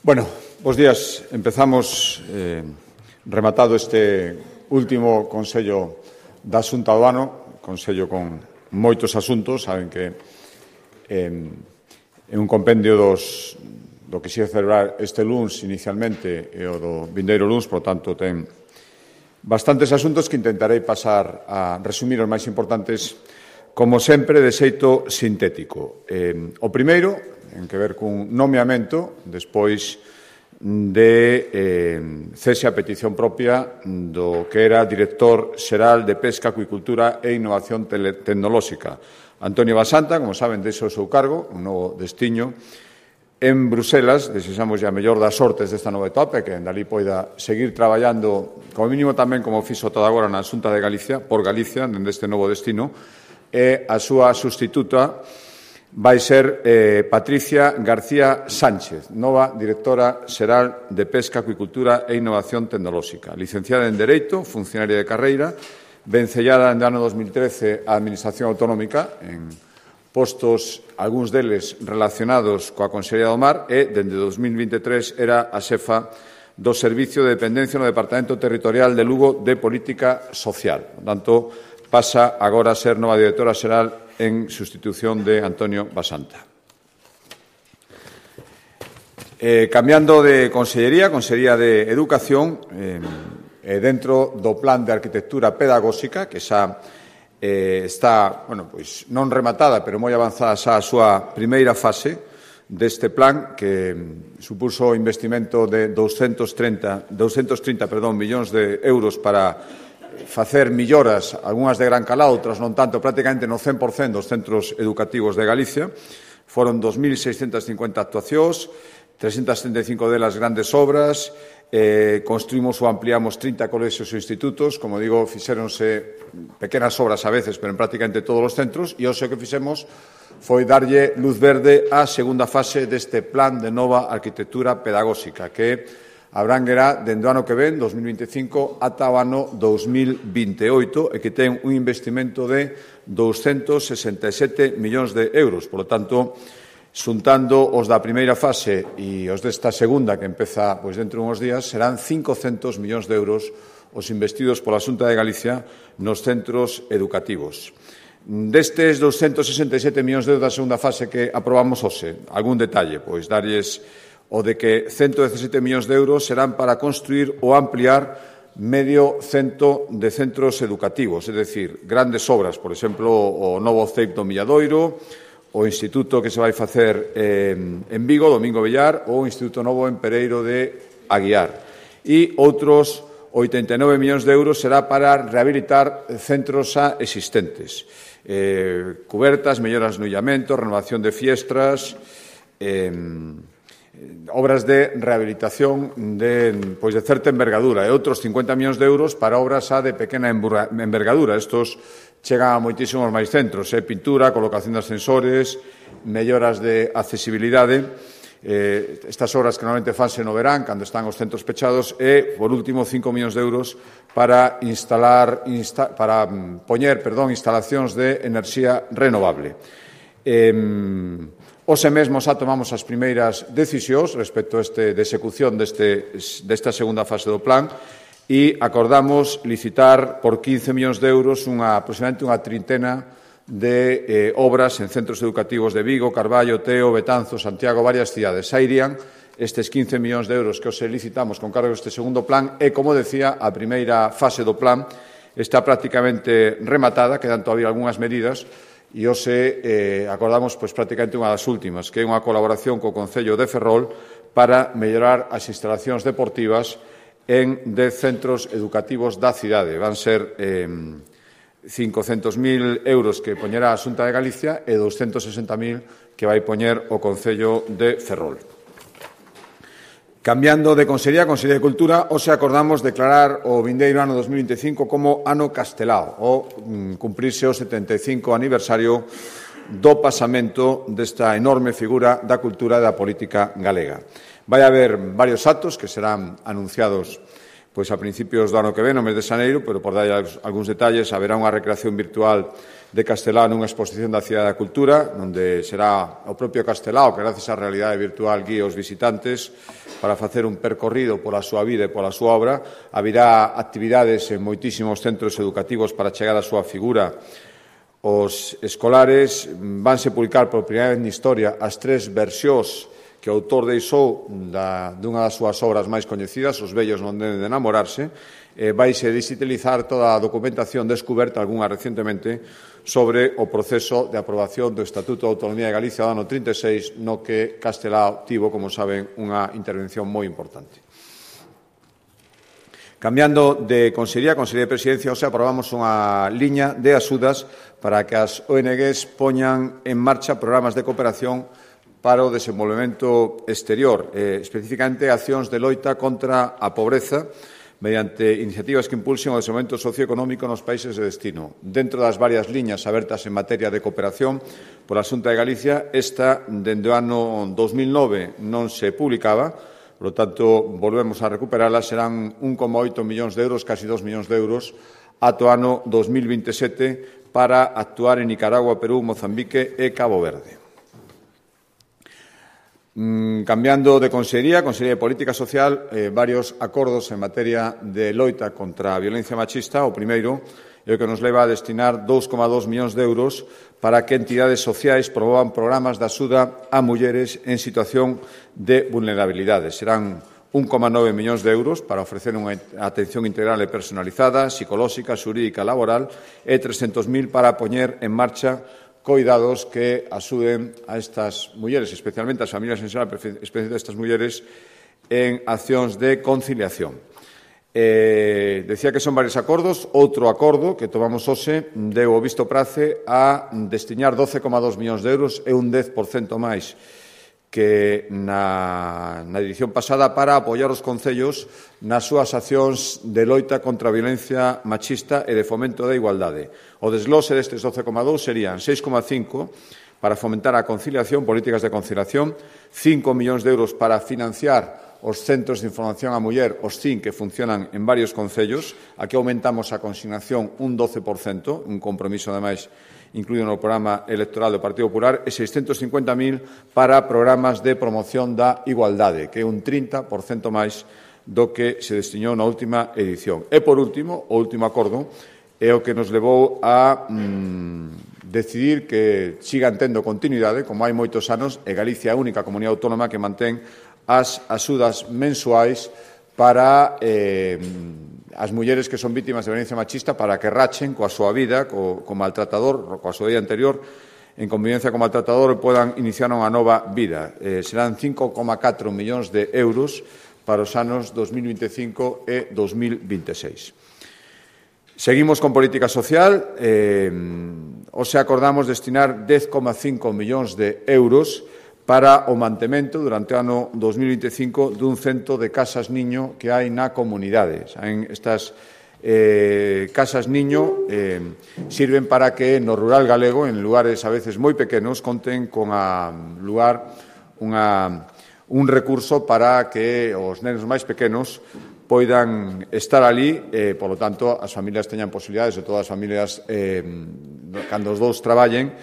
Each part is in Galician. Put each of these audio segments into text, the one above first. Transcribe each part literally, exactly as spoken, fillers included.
Bueno, bos días. Empezamos eh, rematado este último Consello da Xunta do ano, Consello con moitos asuntos. Saben que eh, é un compendio dos, do que se ia celebrar este luns inicialmente e o do vindeiro luns, por tanto, ten bastantes asuntos que intentarei pasar a resumir os máis importantes, como sempre, de xeito sintético. Eh, o primeiro, en que ver cun nomeamento, despois de eh, cese a petición propia do que era director xeral de Pesca, Acuicultura e Innovación Tecnolóxica. Antonio Basanta, como saben, deixa o seu cargo, un novo destiño, en Bruselas. Desexamos a mellor das sortes desta nova etapa, que en dali poida seguir traballando, como mínimo tamén como fixo toda agora na Xunta de Galicia, por Galicia, dende este novo destino, e a súa sustituta vai ser eh, Patricia García Sánchez, nova directora xeral de Pesca, Acuicultura e Innovación Tecnolóxica. Licenciada en Dereito, funcionaria de carreira, vencellada en ano dos mil trece á Administración Autonómica, en postos, algúns deles relacionados coa Consellería do Mar, e, dende dos mil veintitrés, era a xefa do Servicio de Dependencia no Departamento Territorial de Lugo de Política Social. Por tanto, pasa agora a ser nova directora xeral en sustitución de Antonio Basanta. Eh, cambiando de consellería, Consellería de Educación, eh, eh, dentro do Plan de Arquitectura Pedagóxica, que xa eh, está, bueno, pois non rematada, pero moi avanzada xa a súa primeira fase deste plan, que supuso o investimento de doscentos trinta, doscentos trinta perdón, millóns de euros para facer melloras, algunhas de gran calado, outras non tanto, prácticamente no cen por cento dos centros educativos de Galicia. Foron dos mil seiscentas cincuenta actuacións, trescentas setenta e cinco delas grandes obras, eh, construímos ou ampliamos trinta colexios e institutos, como digo, fixéronse pequenas obras a veces, pero en prácticamente todos os centros, e o que fixemos foi darlle luz verde á segunda fase deste plan de nova arquitectura pedagóxica, que abranguerá dende o ano que ven, dos mil veinticinco, ata o ano dos mil veintioito, e que ten un investimento de doscentos sesenta e sete millóns de euros. Por lo tanto, xuntando os da primeira fase e os desta segunda, que empeza pois, dentro de uns días, serán cincocentos millóns de euros os investidos pola Xunta de Galicia nos centros educativos. Destes doscentos sesenta e sete millóns de euros da segunda fase que aprobamos hoxe, algún detalle, pois darlles o de que ciento dezasete millóns de euros serán para construir ou ampliar medio cento de centros educativos, é dicir, grandes obras, por exemplo, o novo C E I P do Milladoiro, o instituto que se vai facer eh, en Vigo, Domingo Villar, ou o instituto novo en Pereiro de Aguiar. E outros oitenta e nove millóns de euros será para rehabilitar centros xa existentes. Eh, cubertas, melloras no illamento, renovación de fiestras, eh, obras de rehabilitación de, pois de certa envergadura e outros cincuenta millóns de euros para obras xa de pequena envergadura. Estos chegan a moitísimos máis centros, eh? pintura, colocación de ascensores, melloras de accesibilidade. Eh, estas obras que normalmente fanse no verán, cando están os centros pechados, e, por último, cinco millóns de euros para instalar, insta, para poñer, perdón, instalacións de enerxía renovable. Eh, Ose mesmo xa tomamos as primeiras decisións respecto a este, de execución deste, desta segunda fase do plan e acordamos licitar por quince millóns de euros unha, aproximadamente unha trintena de eh, obras en centros educativos de Vigo, Carballo, Teo, Betanzo, Santiago, varias cidades. Xa irían estes quince millóns de euros que os licitamos con cargo deste segundo plan e, como decía, a primeira fase do plan está prácticamente rematada, quedan todavía algunhas medidas, e hoxe eh, acordamos pois, prácticamente unha das últimas, que é unha colaboración co Concello de Ferrol para mellorar as instalacións deportivas en dez centros educativos da cidade. Van ser eh, cincocentos mil euros que poñerá a Xunta de Galicia e doscentos sesenta mil que vai poñer o Concello de Ferrol. Cambiando de Consellería a Consellería de Cultura, hoxe acordamos declarar o vindeiro ano dos mil veinticinco como ano castelao, o mm, cumprirse o setenta e cinco aniversario do pasamento desta enorme figura da cultura e da política galega. Vai haber varios actos que serán anunciados pois a principios do ano que ven, no mes de xaneiro, pero por dar algúns detalles, haberá unha recreación virtual de Castelao nunha exposición da Cidade da Cultura, onde será o propio Castelao que, gracias á realidade virtual, guía os visitantes para facer un percorrido pola súa vida e pola súa obra. Haberá actividades en moitísimos centros educativos para chegar á súa figura. Os escolares vanse publicar por primeira vez na historia as tres versións que o autor deixou da, dunha das súas obras máis coñecidas, Os vellos non deben de enamorarse. Eh, vaise digitalizar toda a documentación descuberta, algunha recentemente, sobre o proceso de aprobación do Estatuto de Autonomía de Galicia do ano trinta e seis, no que Castelao tivo, como saben, unha intervención moi importante. Cambiando de Consellería, Consellería de Presidencia, hoxe aprobamos unha liña de axudas para que as O N Gs poñan en marcha programas de cooperación para o desenvolvemento exterior, eh, especificamente accións de loita contra a pobreza, mediante iniciativas que impulsen o desenvolvemento socioeconómico nos países de destino. Dentro das varias liñas abertas en materia de cooperación pola Xunta de Galicia, esta, dende o ano dos mil nove, non se publicaba, por lo tanto, volvemos a recuperala, serán un coma oito millóns de euros, casi dos millóns de euros, ata o ano dos mil vinte e sete para actuar en Nicaragua, Perú, Mozambique e Cabo Verde. Cambiando de Consellería, Consellería de Política Social, eh, varios acordos en materia de loita contra a violencia machista. O primeiro é o que nos leva a destinar dous coma dos millóns de euros para que entidades sociais promovan programas de axuda a mulleres en situación de vulnerabilidade. Serán un coma nove millóns de euros para ofrecer unha atención integral e personalizada, psicolóxica, xurídica, laboral e trescentos mil para poñer en marcha coidados que axuden a estas mulleres, especialmente as familias en xeral, especialmente a estas mulleres, en accións de conciliación. Eh, decía que son varios acordos. Outro acordo que tomamos hoxe deu o visto prace a destinar doce coma dos millóns de euros e un dez por cento máis que na, na edición pasada para apoiar os concellos nas súas accións de loita contra a violencia machista e de fomento da igualdade. O desglose destes doce coma dos serían seis coma cinco para fomentar a conciliación, políticas de conciliación, cinco millóns de euros para financiar os centros de información á muller, os C I N, que funcionan en varios concellos. Aquí aumentamos a consignación un doce por cento, un compromiso, ademais, incluído no programa electoral do Partido Popular, e seiscentos cincuenta mil para programas de promoción da igualdade, que é un trinta por cento máis do que se destinou na última edición. E, por último, o último acordo é o que nos levou a mm, decidir que sigan tendo continuidade, como hai moitos anos, e Galicia é a única comunidade autónoma que mantén as axudas mensuais para eh, as mulleres que son vítimas de violencia machista, para que rachen coa súa vida, co, co maltratador, coa súa vida anterior, en convivencia co maltratador, e podan iniciar unha nova vida. Eh, serán cinco coma catro millóns de euros para os anos dos mil vinte e cinco e dos mil vinte e seis. Seguimos con política social. Eh, hoxe acordamos destinar dez coma cinco millóns de euros para o mantemento durante o ano dos mil vinte e cinco dun cento de casas niño que hai na comunidade. Saben, estas eh, casas niño eh, sirven para que no rural galego, en lugares a veces moi pequenos, conten con a lugar unha, un recurso para que os nenos máis pequenos poidan estar ali, eh, polo tanto, as familias teñan posibilidades, de todas as familias, eh, cando os dous traballen,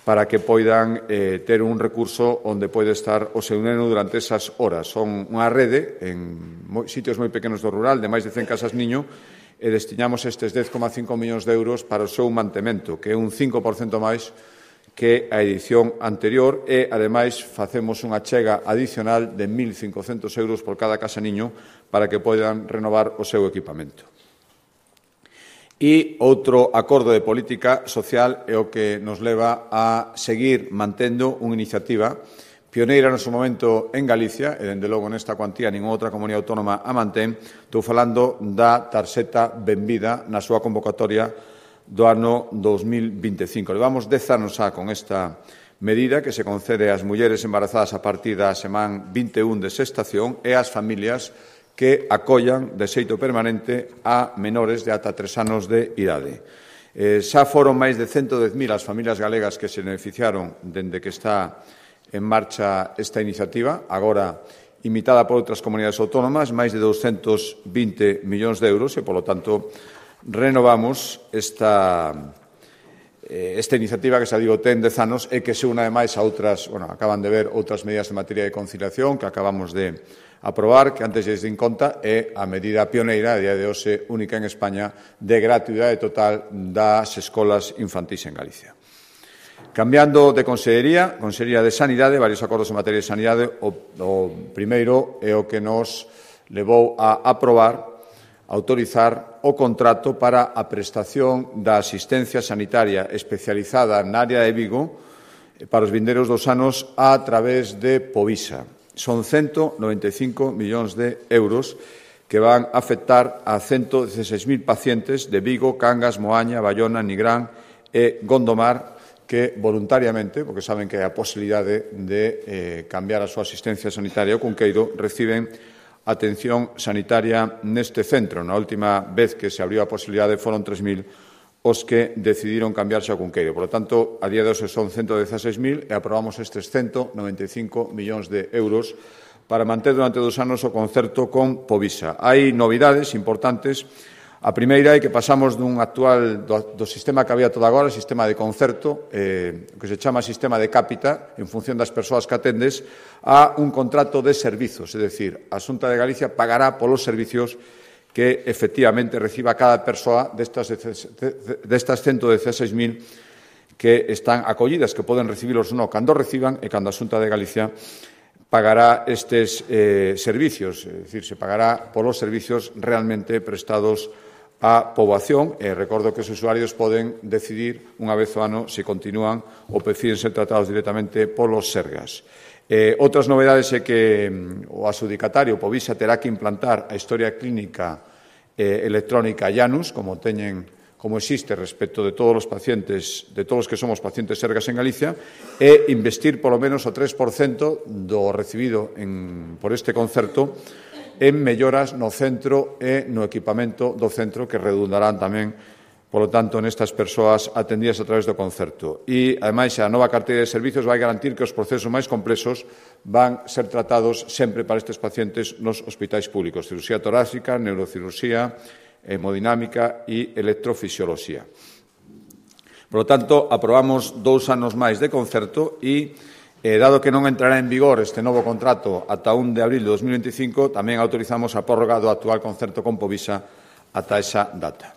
para que poidan eh, ter un recurso onde pode estar o seu neno durante esas horas. Son unha rede en moi, sitios moi pequenos do rural, de máis de cen casas niño, e destinamos estes dez coma cinco millóns de euros para o seu mantemento, que é un cinco por cento máis que a edición anterior, e, ademais, facemos unha chega adicional de mil cincocentos euros por cada casa niño para que poidan renovar o seu equipamento. E outro acordo de política social é o que nos leva a seguir mantendo unha iniciativa pioneira no seu momento en Galicia, e, dende logo, nesta cuantía, ninguna outra comunidade autónoma a mantén. Estou falando da tarxeta Benvida na súa convocatoria do ano dos mil vinte e cinco. Levamos dez anos xa con esta medida que se concede ás mulleres embarazadas a partir da semana vinte e un de xestación e ás familias que acollan de xeito permanente a menores de ata tres anos de idade. Eh, xa foron máis de ciento dez mil as familias galegas que se beneficiaron dende que está en marcha esta iniciativa. Agora imitada por outras comunidades autónomas, máis de doscentos vinte millóns de euros, e, polo tanto, renovamos esta, eh, esta iniciativa que, xa digo, ten dez anos e que se une, ademais, a outras, bueno, acaban de ver outras medidas en materia de conciliación que acabamos de aprobar, que antes lles din conta, é a medida pioneira, a día de hoxe única en España, de gratuidade total das escolas infantís en Galicia. Cambiando de consellería, Consellería de Sanidade, varios acordos en materia de sanidade. O, o primeiro é o que nos levou a aprobar, a autorizar o contrato para a prestación da asistencia sanitaria especializada na área de Vigo para os vindeiros dos anos a través de Povisa. Son ciento noventa e cinco millóns de euros que van a afectar a ciento dieciséis mil pacientes de Vigo, Cangas, Moaña, Bayona, Nigrán e Gondomar, que voluntariamente, porque saben que hai a posibilidade de eh, cambiar a súa asistencia sanitaria ao Cunqueiro, reciben atención sanitaria neste centro. Na última vez que se abriu a posibilidade foron tres mil os que decidiron cambiarse ao Cunqueiro. Por lo tanto, a día de hoxe son ciento dieciséis mil e aprobamos estes ciento noventa e cinco millóns de euros para manter durante dos anos o concerto con Povisa. Hai novidades importantes. A primeira é que pasamos dun actual, do, do sistema que había todo agora, sistema de concerto, eh, que se chama sistema de cápita, en función das persoas que atendes, a un contrato de servizos. É dicir, a Xunta de Galicia pagará polos servizos que efectivamente reciba cada persoa destas, destas ciento dieciséis mil que están acollidas, que poden recibilos ou non cando reciban, e cando a Xunta de Galicia pagará estes eh, servicios, é dicir, se pagará polos servicios realmente prestados á poboación, e recordo que os usuarios poden decidir unha vez ao ano se continúan ou prefiren ser tratados directamente polos Sergas. Eh, outras novedades é que o adxudicatario Povisa terá que implantar a historia clínica eh, electrónica Janus, como teñen como existe respecto de todos os pacientes, de todos os que somos pacientes Sergas en Galicia, e investir polo menos o tres por cento do recibido en, por este concerto en melloras no centro e no equipamento do centro, que redundarán tamén, polo tanto, nestas persoas atendidas a través do concerto. E, ademais, a nova carteira de servizos vai garantir que os procesos máis complexos van ser tratados sempre para estes pacientes nos hospitais públicos: cirurxía torácica, neurocirurxía, hemodinámica e electrofisioloxía. Por lo tanto, aprobamos dous anos máis de concerto e, eh, dado que non entrará en vigor este novo contrato ata un de abril de dos mil veinticinco, tamén autorizamos a prórroga do actual concerto con Povisa ata esa data.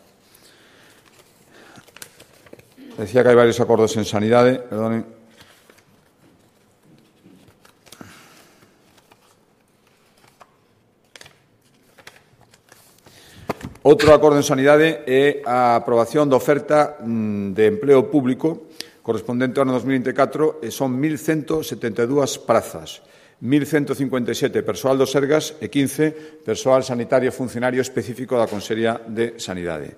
Decía que hai varios acordos en sanidade, perdonen. Outro acordo en sanidade é a aprobación da oferta de empleo público correspondente ao ano dos mil vinte e catro, e son mil ciento setenta e dúas prazas, mil ciento cincuenta e sete persoal do Sergas e quince persoal sanitario funcionario específico da Consellería de Sanidade.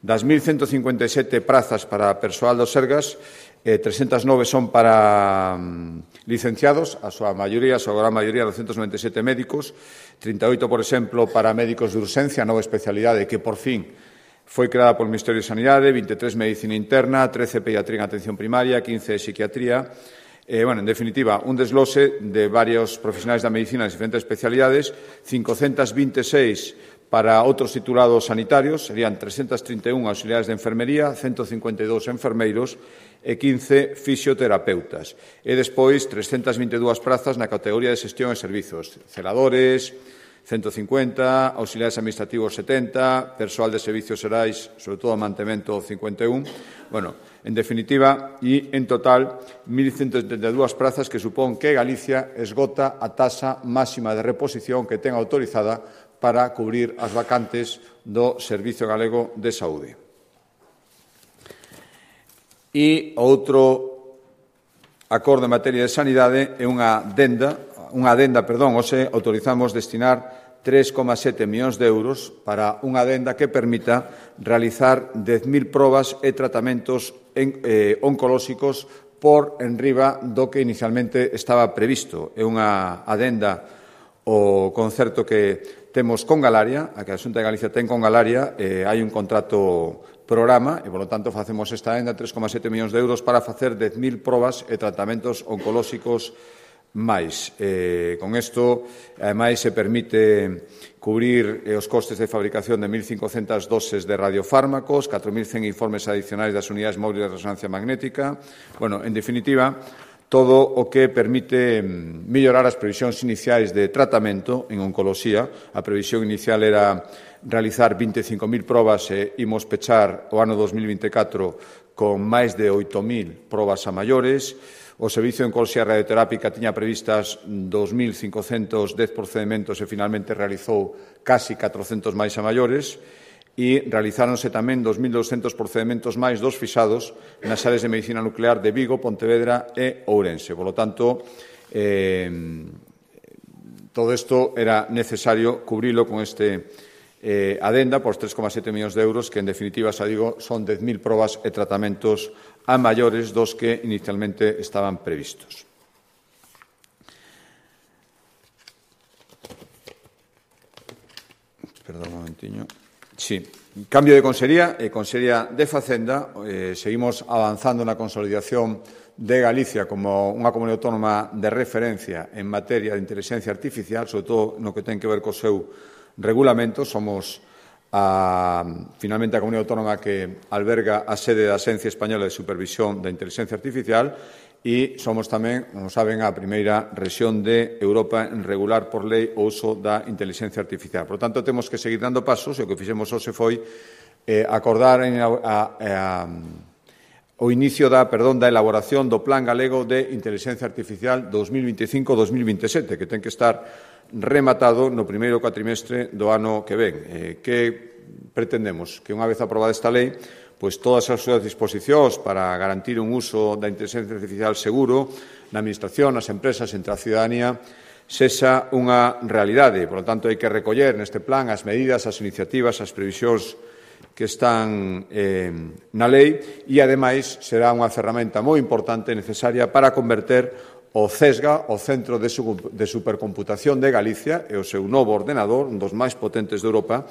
Das mil ciento cincuenta e sete prazas para persoal do Sergas, eh, trescentas nove son para mm, licenciados, a súa maioría, a súa gran maioría, doscentos noventa e sete médicos, trinta e oito, por exemplo, para médicos de urxencia, nova especialidade que, por fin, foi creada polo Ministerio de Sanidade, vinte e tres Medicina Interna, trece Pediatría en Atención Primaria, quince Psiquiatría. Eh, bueno, en definitiva, un desglose de varios profesionais da medicina de diferentes especialidades, quinhentos vinte e seis para outros titulados sanitarios, serían trescentos trinta e un auxiliares de enfermería, ciento cincuenta e dous enfermeiros e quince fisioterapeutas. E despois, trescentas vinte e dúas prazas na categoría de xestión e servizos, celadores, ciento cincuenta, auxiliares administrativos setenta, persoal de servicios xerais, sobre todo mantemento cincuenta e un. Bueno, en definitiva, e en total, mil ciento setenta e dúas prazas que supón que Galicia esgota a taxa máxima de reposición que ten autorizada para cubrir as vacantes do Servizo Galego de Saúde. E outro acordo en materia de sanidade é unha adenda unha adenda, perdón, hoxe autorizamos destinar tres coma sete millóns de euros para unha adenda que permita realizar dez mil probas e tratamentos en, eh, oncolóxicos por enriba do que inicialmente estaba previsto. É unha adenda o concerto que temos con Galaria, a que a Xunta de Galicia ten con Galaria, eh, hai un contrato programa e, polo tanto, facemos esta adenda tres coma sete millóns de euros para facer dez mil probas e tratamentos oncolóxicos máis. Eh, con isto, ademais, se permite cubrir eh, os costes de fabricación de mil cincocentas doses de radiofármacos, catro mil cen informes adicionais das unidades móviles de resonancia magnética. Bueno, en definitiva, todo o que permite mellorar as previsións iniciais de tratamento en oncoloxía. A previsión inicial era realizar vinte e cinco mil probas e imos pechar o ano dos mil vinte e catro con máis de oito mil probas a maiores. O Servicio de Oncoloxía Radioterápica tiña previstas dos mil cincocentos dez procedementos e finalmente realizou casi catrocentos máis a maiores e realizáronse tamén dos mil douscentos procedementos máis dos fixados nas áreas de medicina nuclear de Vigo, Pontevedra e Ourense. Por lo tanto, eh, todo isto era necesario cubrilo con este eh, adenda por tres coma sete millóns de euros que, en definitiva, xa digo, son dez mil probas e tratamentos a maiores dos que inicialmente estaban previstos. Perdón un momentiño. Sí, cambio de consellería e consellería de Facenda. Eh, seguimos avanzando na consolidación de Galicia como unha comunidade autónoma de referencia en materia de inteligencia artificial, sobre todo no que ten que ver co seu regulamento. Somos A, finalmente, a comunidade autónoma que alberga a sede da Axencia Española de Supervisión da Inteligencia Artificial e somos tamén, como saben, a primeira rexión de Europa en regular por lei o uso da inteligencia artificial. Por tanto, temos que seguir dando pasos e o que fixemos hoxe foi eh, acordar en a, a, a, o inicio da, perdón, da elaboración do Plan Galego de Inteligencia Artificial dos mil vinte e cinco dos mil vinte e sete, que ten que estar rematado no primeiro cuatrimestre do ano que ven. Eh, que pretendemos? Que unha vez aprobada esta lei, pois todas as súas disposicións para garantir un uso da inteligencia artificial seguro na administración, nas empresas, entre a ciudadanía, sexa unha realidade. Por lo tanto, hai que recoller neste plan as medidas, as iniciativas, as previsións que están eh, na lei e, ademais, será unha ferramenta moi importante e necesaria para converter o CESGA, o Centro de Supercomputación de Galicia, e o seu novo ordenador, un dos máis potentes de Europa,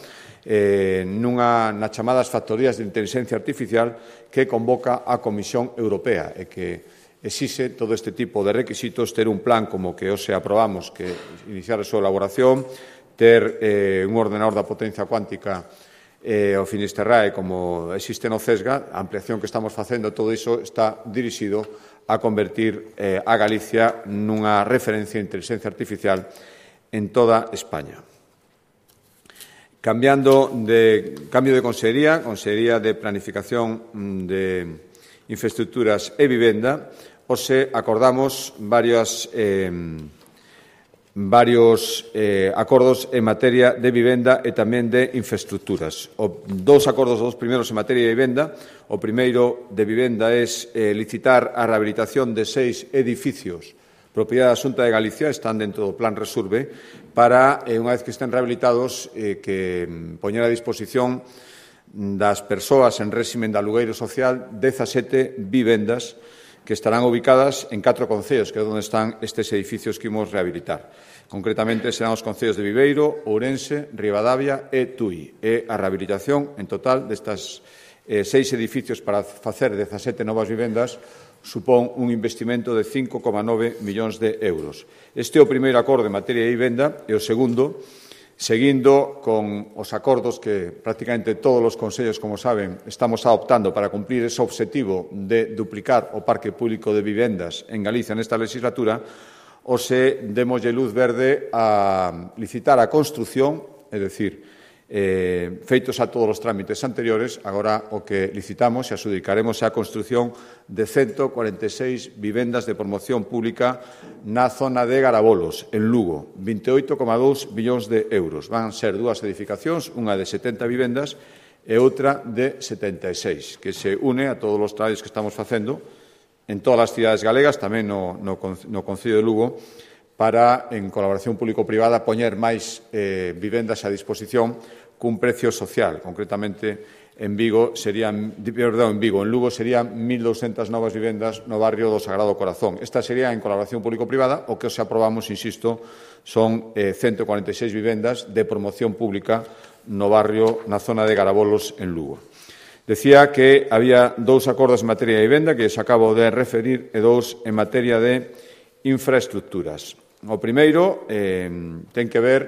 eh, nunha, nas chamadas factorías de inteligencia artificial que convoca a Comisión Europea e que exixe todo este tipo de requisitos, ter un plan como que hoxe aprobamos, que iniciar a súa elaboración, ter eh, un ordenador da potencia cuántica eh, o Finisterrae como existe no CESGA, a ampliación que estamos facendo, todo iso está dirixido a convertir eh, a Galicia nunha referencia de inteligencia artificial en toda España. Cambiando de, cambio de consellería, Consellería de Planificación de Infraestructuras e Vivenda, hoxe acordamos varias eh, varios eh, acordos en materia de vivenda e tamén de infraestructuras. O, dous acordos, os primeiros en materia de vivenda. O primeiro de vivenda é eh, licitar a rehabilitación de seis edificios propiedade da Xunta de Galicia, están dentro do Plan Resurbe, para, eh, unha vez que estén rehabilitados, eh, que poñer a disposición das persoas en réximen de alugueiro social dezasete vivendas que estarán ubicadas en catro concellos, que é onde están estes edificios que imos rehabilitar. Concretamente, serán os concellos de Viveiro, Ourense, Ribadavia e Tui. E a rehabilitación, en total, destas eh, seis edificios para facer dezasete novas vivendas supón un investimento de cinco coma nove millóns de euros. Este é o primeiro acordo en materia de vivenda e o segundo, seguindo con os acordos que prácticamente todos os concellos, como saben, estamos adoptando para cumprir ese objetivo de duplicar o parque público de vivendas en Galicia nesta legislatura, ose demoslle luz verde a licitar a construción, é dicir, eh, feitos a todos os trámites anteriores, agora o que licitamos e adjudicaremos é a construción de ciento cuarenta e seis vivendas de promoción pública na zona de Garabolos, en Lugo, vinte e oito coma dous millóns de euros. Van ser dúas edificacións, unha de setenta vivendas e outra de setenta e seis, que se une a todos os traballos que estamos facendo en todas as cidades galegas, tamén no, no, no Concello de Lugo, para, en colaboración público-privada, poñer máis eh, vivendas a disposición cun precio social. Concretamente, en Vigo serían, perdón, en Vigo, en Lugo serían mil doscientas novas vivendas no barrio do Sagrado Corazón. Esta sería en colaboración público-privada, o que os aprobamos, insisto, son eh, ciento cuarenta e seis vivendas de promoción pública no barrio, na zona de Garabolos, en Lugo. Decía que había dous acordos en materia de vivenda, que os acabo de referir, e dous en materia de infraestructuras. O primeiro eh, ten que ver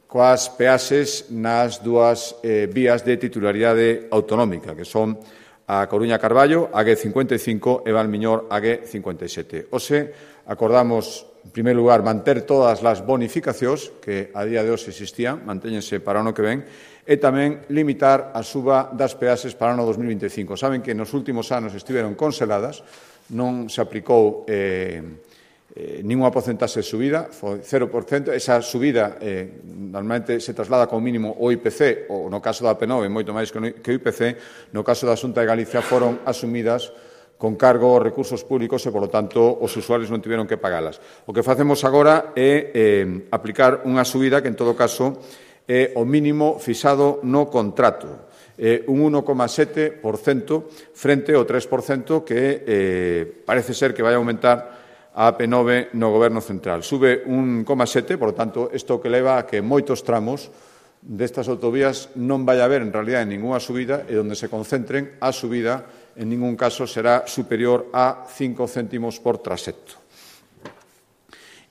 coas peaxes nas dúas eh, vías de titularidade autonómica, que son a Coruña-Carballo, a G cincuenta e cinco, e Valmiñor, a G cincuenta e sete. Ose, acordamos, en primeiro lugar, manter todas as bonificacións que a día de hoxe existían, mantéñense para o ano que ven, e tamén limitar a suba das peaxes para o ano dos mil vinte e cinco. Saben que nos últimos anos estiveron congeladas, non se aplicou eh, Eh, ninguna porcentaxe de subida, foi cero por cento. Esa subida eh, normalmente se traslada como mínimo o I P C, ou no caso da P nove, moito máis que o I P C, no caso da Xunta de Galicia foron asumidas con cargo aos recursos públicos e, polo tanto, os usuarios non tiveron que pagalas. O que facemos agora é eh, aplicar unha subida que, en todo caso, é o mínimo fixado no contrato. Eh, un uno coma sete por cento frente ao tres por cento que eh, parece ser que vai aumentar a P nove no Goberno Central. Sube un un coma sete, por tanto, isto que leva a que moitos tramos destas autovías non vai haber, en realidad, ninguna subida, e onde se concentren, a subida, en ningún caso, será superior a cinco céntimos por trasecto.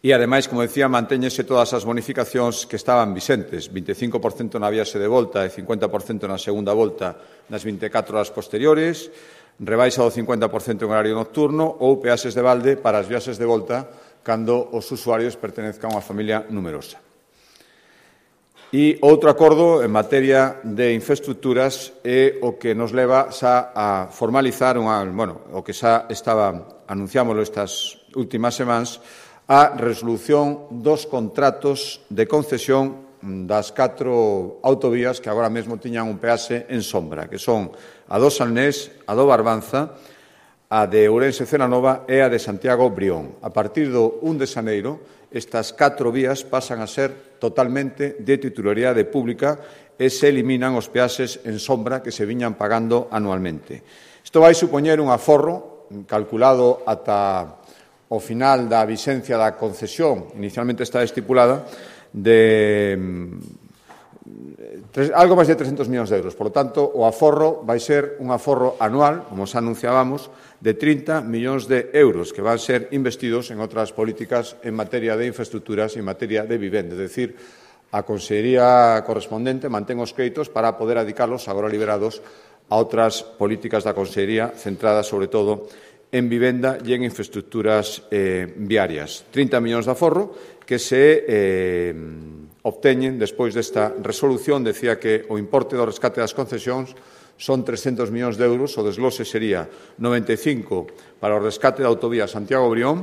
E, ademais, como decía, mantéñense todas as bonificacións que estaban vixentes, vinte e cinco por cento na viaxe de volta e cincuenta por cento na segunda volta nas vinte e catro horas posteriores, rebaixa do cincuenta por cento en horario nocturno ou peaxes de balde para as viaxes de volta cando os usuarios pertenezcan a unha familia numerosa. E outro acordo en materia de infraestructuras é o que nos leva xa a formalizar unha, bueno, o que xa estaba, anunciámoslo estas últimas semanas, a resolución dos contratos de concesión das catro autovías que agora mesmo tiñan un peaxe en sombra, que son a do Salnés, a do Barbanza, a de Ourense-Celanova e a de Santiago-Brión. A partir do un de xaneiro, estas catro vías pasan a ser totalmente de titularidade pública e se eliminan os peaxes en sombra que se viñan pagando anualmente. Isto vai supoñer un aforro calculado ata o final da vixencia da concesión, inicialmente está estipulada, de tres, algo máis de trescentos millóns de euros. Por lo tanto, o aforro vai ser un aforro anual, como xa anunciábamos, de trinta millóns de euros que van ser investidos en outras políticas en materia de infraestructuras e en materia de vivenda. É dicir, a Consellería correspondente mantén os créditos para poder adicarlos, agora liberados, a outras políticas da Consellería centradas, sobre todo, en vivenda e en infraestructuras eh, viarias. trinta millóns de aforro que se eh, obteñen despois desta resolución. Decía que o importe do rescate das concesións son trescentos millóns de euros, o desglose sería noventa e cinco para o rescate da autovía Santiago-Brión,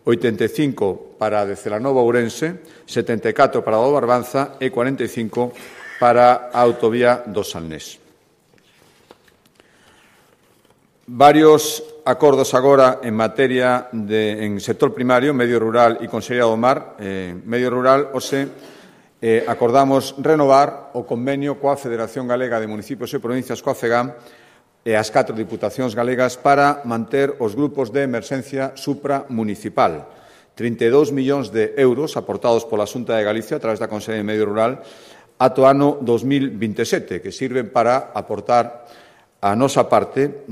oitenta e cinco para a de Celanova Ourense, setenta e catro para a do Barbanza e cuarenta e cinco para a autovía do Salnés. Varios acordos agora en materia de en sector primario, medio rural e Consellería do Mar. Eh, medio rural, ose, eh, acordamos renovar o convenio coa Federación Galega de Municipios e Provincias, coa FEGAM, e as catro diputacións galegas para manter os grupos de emerxencia supramunicipal. trinta e dous millóns de euros aportados pola Xunta de Galicia a través da Consellería de Medio Rural ato ano dos mil vinte e sete, que sirven para aportar a nosa parte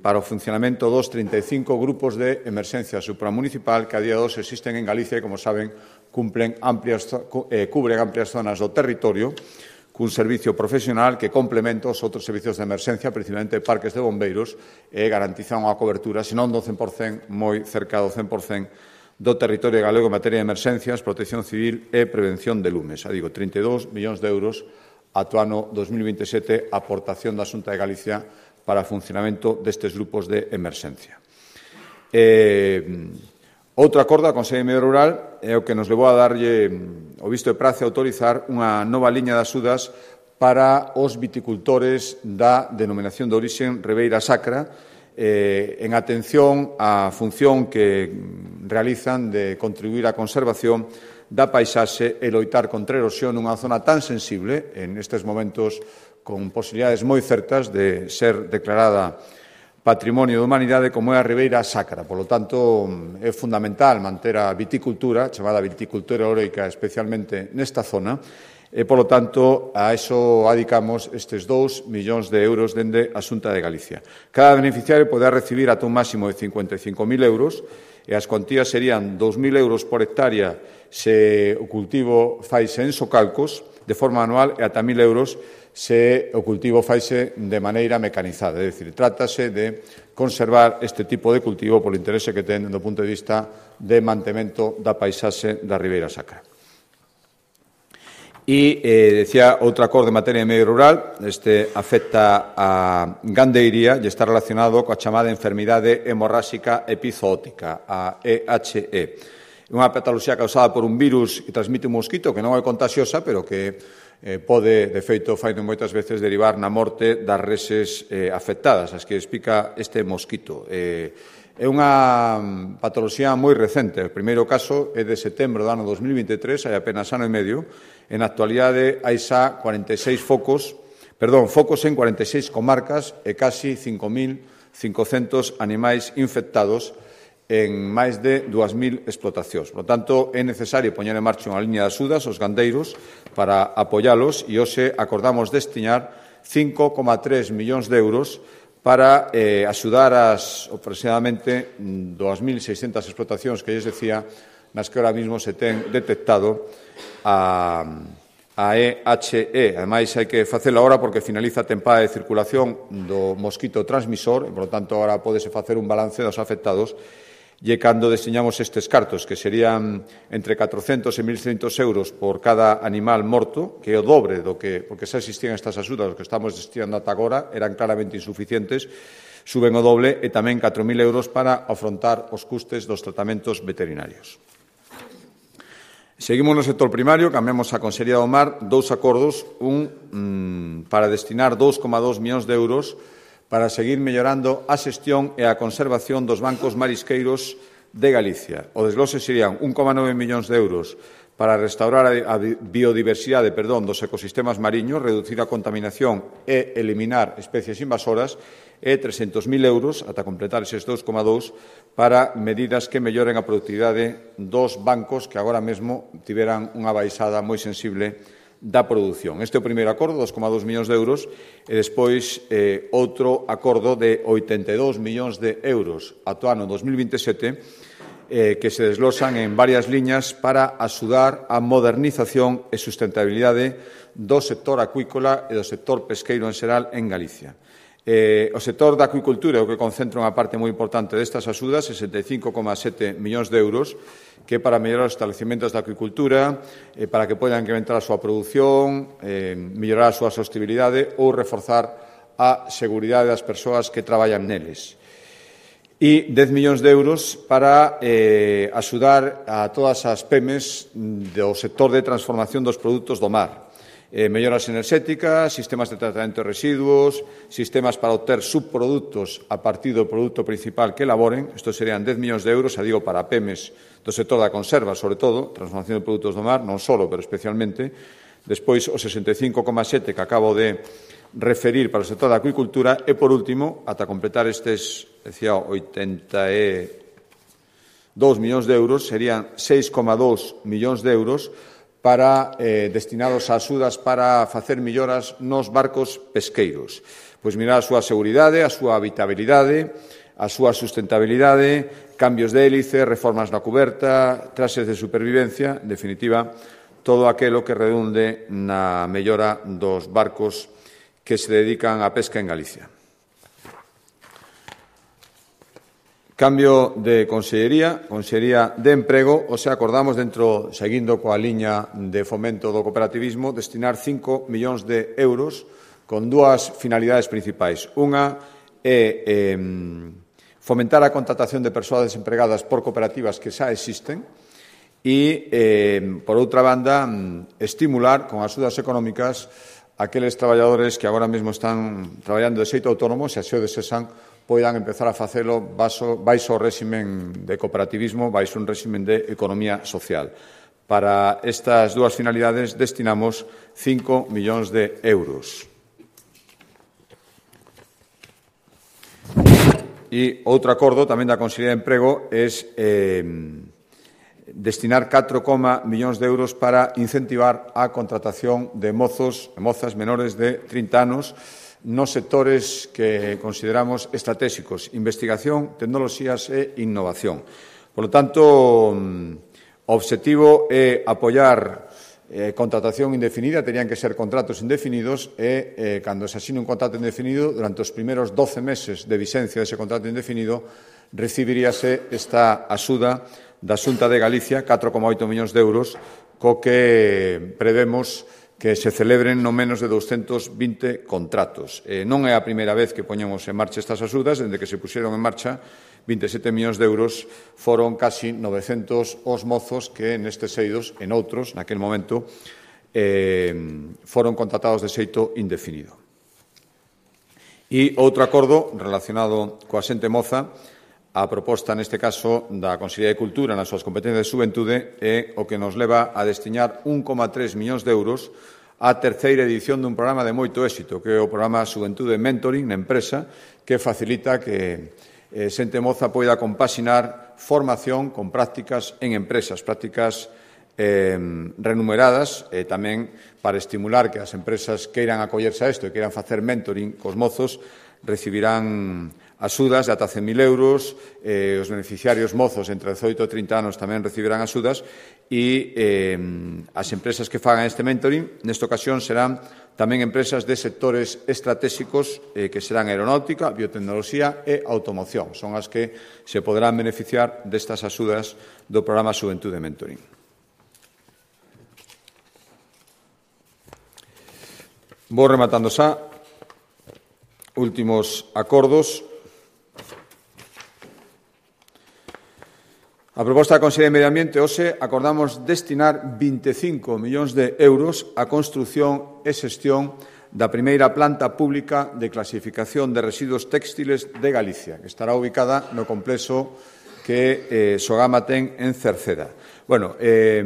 para o funcionamento dos trinta e cinco grupos de emerxencia supramunicipal que a día de hoxe existen en Galicia e, como saben, cumplen amplias, eh, cubren amplias zonas do territorio cun servicio profesional que complementa os outros servicios de emerxencia, principalmente parques de bombeiros, e garantizan unha cobertura, senón do cen por cento, moi cerca do cen por cento do territorio galego en materia de emerxencias, protección civil e prevención de lumes. Xa digo, trinta e dous millóns de euros ato ano dos mil vinte e sete, aportación da Xunta de Galicia para o funcionamento destes grupos de emerxencia. Eh, outro acordo da Consellería de Medio Rural é o que nos levou a darlle o visto de prace a autorizar unha nova liña de axudas para os viticultores da denominación de orixen Ribeira Sacra, eh, en atención á función que realizan de contribuir á conservación da paisaxe e loitar contra a erosión nunha zona tan sensible, en estes momentos con posibilidades moi certas de ser declarada Patrimonio da Humanidade como é a Ribeira Sacra. Por lo tanto, é fundamental manter a viticultura, chamada viticultura oreica, especialmente nesta zona, e, por lo tanto, a eso adicamos estes dous millóns de euros dende a Xunta de Galicia. Cada beneficiario poderá recibir ata un máximo de cincuenta e cinco mil euros e as cuantías serían dous mil euros por hectárea se o cultivo faise en socalcos de forma anual e ata mil euros se o cultivo faise de maneira mecanizada. É dicir, trátase de conservar este tipo de cultivo polo interese que ten do punto de vista de mantemento da paisaxe da Ribeira Sacra. E, eh, decía, outro acordo en materia de medio rural, este afecta a gandeiría e está relacionado coa chamada enfermidade hemorráxica epizootica, a E H E. É unha patoloxía causada por un virus que transmite un mosquito que non é contagiosa, pero que eh, pode, de feito, fai moitas veces derivar na morte das reses eh, afectadas, as que explica este mosquito. Eh, é unha patoloxía moi recente. O primeiro caso é de setembro do ano dos mil vinte e tres, hai apenas ano e medio. En actualidade hai xa cuarenta e seis focos, perdón, focos en cuarenta e seis comarcas e casi cinco mil cincocentos animais infectados en máis de dúas mil explotacións. Por lo tanto, é necesario poñer en marcha unha liña de axudas aos gandeiros para apoialos e hoxe acordamos destinar cinco coma tres millóns de euros para eh, axudar as aproximadamente dúas mil seiscentas explotacións que lles decía nas que ahora mismo se ten detectado a, a E H E. Ademais, hai que facelo agora porque finaliza a tempada de circulación do mosquito transmisor e, por lo tanto, agora pódese facer un balance dos afectados e cando destiñamos estes cartos, que serían entre catrocentos e mil seiscentos euros por cada animal morto, que é o dobre do que, porque xa existían estas axudas, os que estamos destinando ata agora, eran claramente insuficientes, suben o doble e tamén catro mil euros para afrontar os custes dos tratamentos veterinarios. Seguimos no sector primario, cambiamos a Consellería do Mar, dous acordos, un mmm, para destinar dous coma dous millóns de euros para seguir mellorando a xestión e a conservación dos bancos marisqueiros de Galicia. O desglose serían un coma nove millóns de euros para restaurar a biodiversidade perdón, dos ecosistemas mariños, reducir a contaminación e eliminar especies invasoras, e trescentos mil euros, ata completar eses dous coma dous, para medidas que melloren a productividade dos bancos que agora mesmo tiveran unha baixada moi sensible da produción. Este é o primeiro acordo, dos coma dous millóns de euros, e despois eh, outro acordo de oitenta e dous millóns de euros ata o ano dos mil vinte e sete, eh, que se desglosan en varias liñas para axudar a modernización e sustentabilidade do sector acuícola e do sector pesqueiro en xeral en Galicia. Eh, o sector da acuicultura é o que concentra unha parte moi importante destas axudas, sesenta e cinco coma sete millóns de euros, que para mellorar os establecimentos da acuicultura, eh, para que podan incrementar a súa produción, eh, mellorar a súa sostibilidade ou reforzar a seguridade das persoas que traballan neles. E dez millóns de euros para eh, axudar a todas as pemes do sector de transformación dos produtos do mar. Eh, melloras enerxéticas, sistemas de tratamento de residuos, sistemas para obter subproductos a partir do produto principal que elaboren. Isto serían dez millóns de euros, a digo, para pemes do sector da conserva, sobre todo, transformación de produtos do mar, non solo, pero especialmente. Despois, o sesenta e cinco coma sete que acabo de referir para o sector da acuicultura. E, por último, ata completar estes, decía, oitenta e dous millóns de euros, serían seis coma dous millóns de euros para eh, destinados a axudas para facer melloras nos barcos pesqueiros. Pois mirar a súa seguridade, a súa habitabilidade, a súa sustentabilidade, cambios de hélice, reformas na cuberta, traxes de supervivencia, en definitiva, todo aquelo que redunde na mellora dos barcos que se dedican á pesca en Galicia. Cambio de Consellería, Consellería de Emprego, o sea, acordamos dentro, seguindo coa liña de fomento do cooperativismo, destinar cinco millóns de euros con dúas finalidades principais. Unha é eh, fomentar a contratación de persoas desempregadas por cooperativas que xa existen e, eh, por outra banda, estimular con axudas económicas aqueles traballadores que agora mesmo están traballando de xeito autónomo, se así o desesan, poidan empezar a facelo baixo, baixo o réximen de cooperativismo, baixo un réximen de economía social. Para estas dúas finalidades destinamos cinco millóns de euros. E outro acordo tamén da Consellería de Emprego é eh, destinar catro coma millóns de euros para incentivar a contratación de mozos e mozas menores de trinta anos nos sectores que consideramos estratégicos, investigación, tecnoloxías e innovación. Por lo tanto, o obxectivo é apoiar eh, contratación indefinida, terían que ser contratos indefinidos e, eh, cando se asine un contrato indefinido, durante os primeiros doce meses de vigencia dese contrato indefinido, recibiríase esta axuda da Xunta de Galicia, catro coma oito millóns de euros, co que prevemos que se celebren non menos de doscientos vinte contratos. Eh, non é a primeira vez que poñemos en marcha estas axudas, dende que se puxeron en marcha vinte e sete millóns de euros, foron casi novecentos os mozos que nestes eidos, en outros, naquel momento, eh, foron contratados de xeito indefinido. E outro acordo relacionado coa xente moza, a proposta, neste caso, da Consellería de Cultura nas súas competencias de xuventude é o que nos leva a destinar un coma tres millóns de euros á terceira edición dun programa de moito éxito, que é o programa Xuventude Mentoring na empresa, que facilita que eh, xente moza poida compaxinar formación con prácticas en empresas, prácticas eh, renumeradas, e tamén para estimular que as empresas queiran acollerse a isto e queiran facer mentoring cos mozos, recibirán axudas de ata cen mil euros, eh, os beneficiarios mozos entre dezoito e trinta anos tamén recibirán axudas e eh, as empresas que fagan este mentoring, nesta ocasión, serán tamén empresas de sectores estratégicos eh, que serán aeronáutica, biotecnoloxía e automoción. Son as que se poderán beneficiar destas axudas do programa Xuventude Mentoring. Vou rematando xa. Últimos acordos. A proposta da Consellería de Medio Ambiente, hoxe, acordamos destinar vinte e cinco millóns de euros á construción e xestión da primeira planta pública de clasificación de residuos téxtiles de Galicia, que estará ubicada no complexo que eh, Sogama ten en Cerceda. Bueno, eh,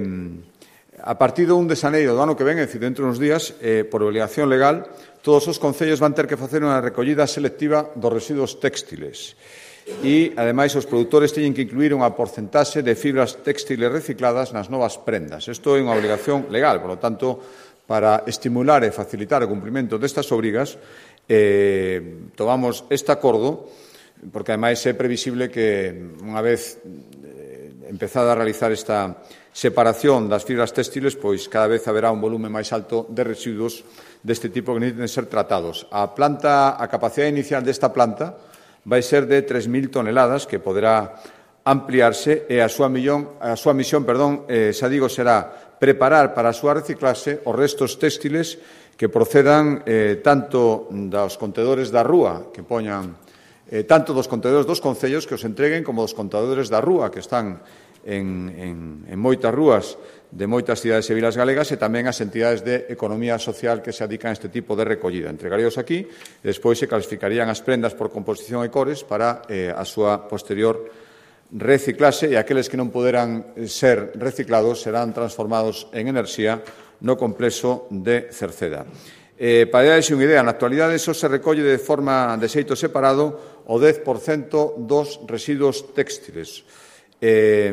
a partir do un de xaneiro do ano que ven, é dicir, dentro de uns días, eh, por obligación legal, todos os concellos van ter que facer unha recollida selectiva dos residuos téxtiles. E, ademais, os produtores teñen que incluir unha porcentaxe de fibras téxtiles recicladas nas novas prendas. Isto é unha obrigación legal, por lo tanto, para estimular e facilitar o cumprimento destas obrigas, eh, tomamos este acordo, porque, ademais, é previsible que, unha vez eh, empezada a realizar esta separación das fibras téxtiles, pois cada vez haberá un volume máis alto de residuos deste tipo que necesiten ser tratados. A planta, a capacidade inicial desta planta vai ser de tres mil toneladas, que poderá ampliarse, e a súa, millón, a súa misión, perdón, eh, xa digo, será preparar para a súa reciclase os restos téxtiles que procedan eh, tanto dos contedores da rúa, que poñan eh, tanto dos contedores dos concellos que os entreguen, como dos contedores da rúa, que están en, en, en moitas rúas de moitas cidades e vilas galegas, e tamén as entidades de economía social que se adican a este tipo de recollida. Entregaríos aquí e despois se clasificarían as prendas por composición e cores para eh, a súa posterior reciclase, e aqueles que non poderan ser reciclados serán transformados en enerxía no complexo de Cerceda. Eh, para darse unha idea, na actualidade só se recolle de forma de xeito separado o dez por cento dos residuos téxtiles. Eh,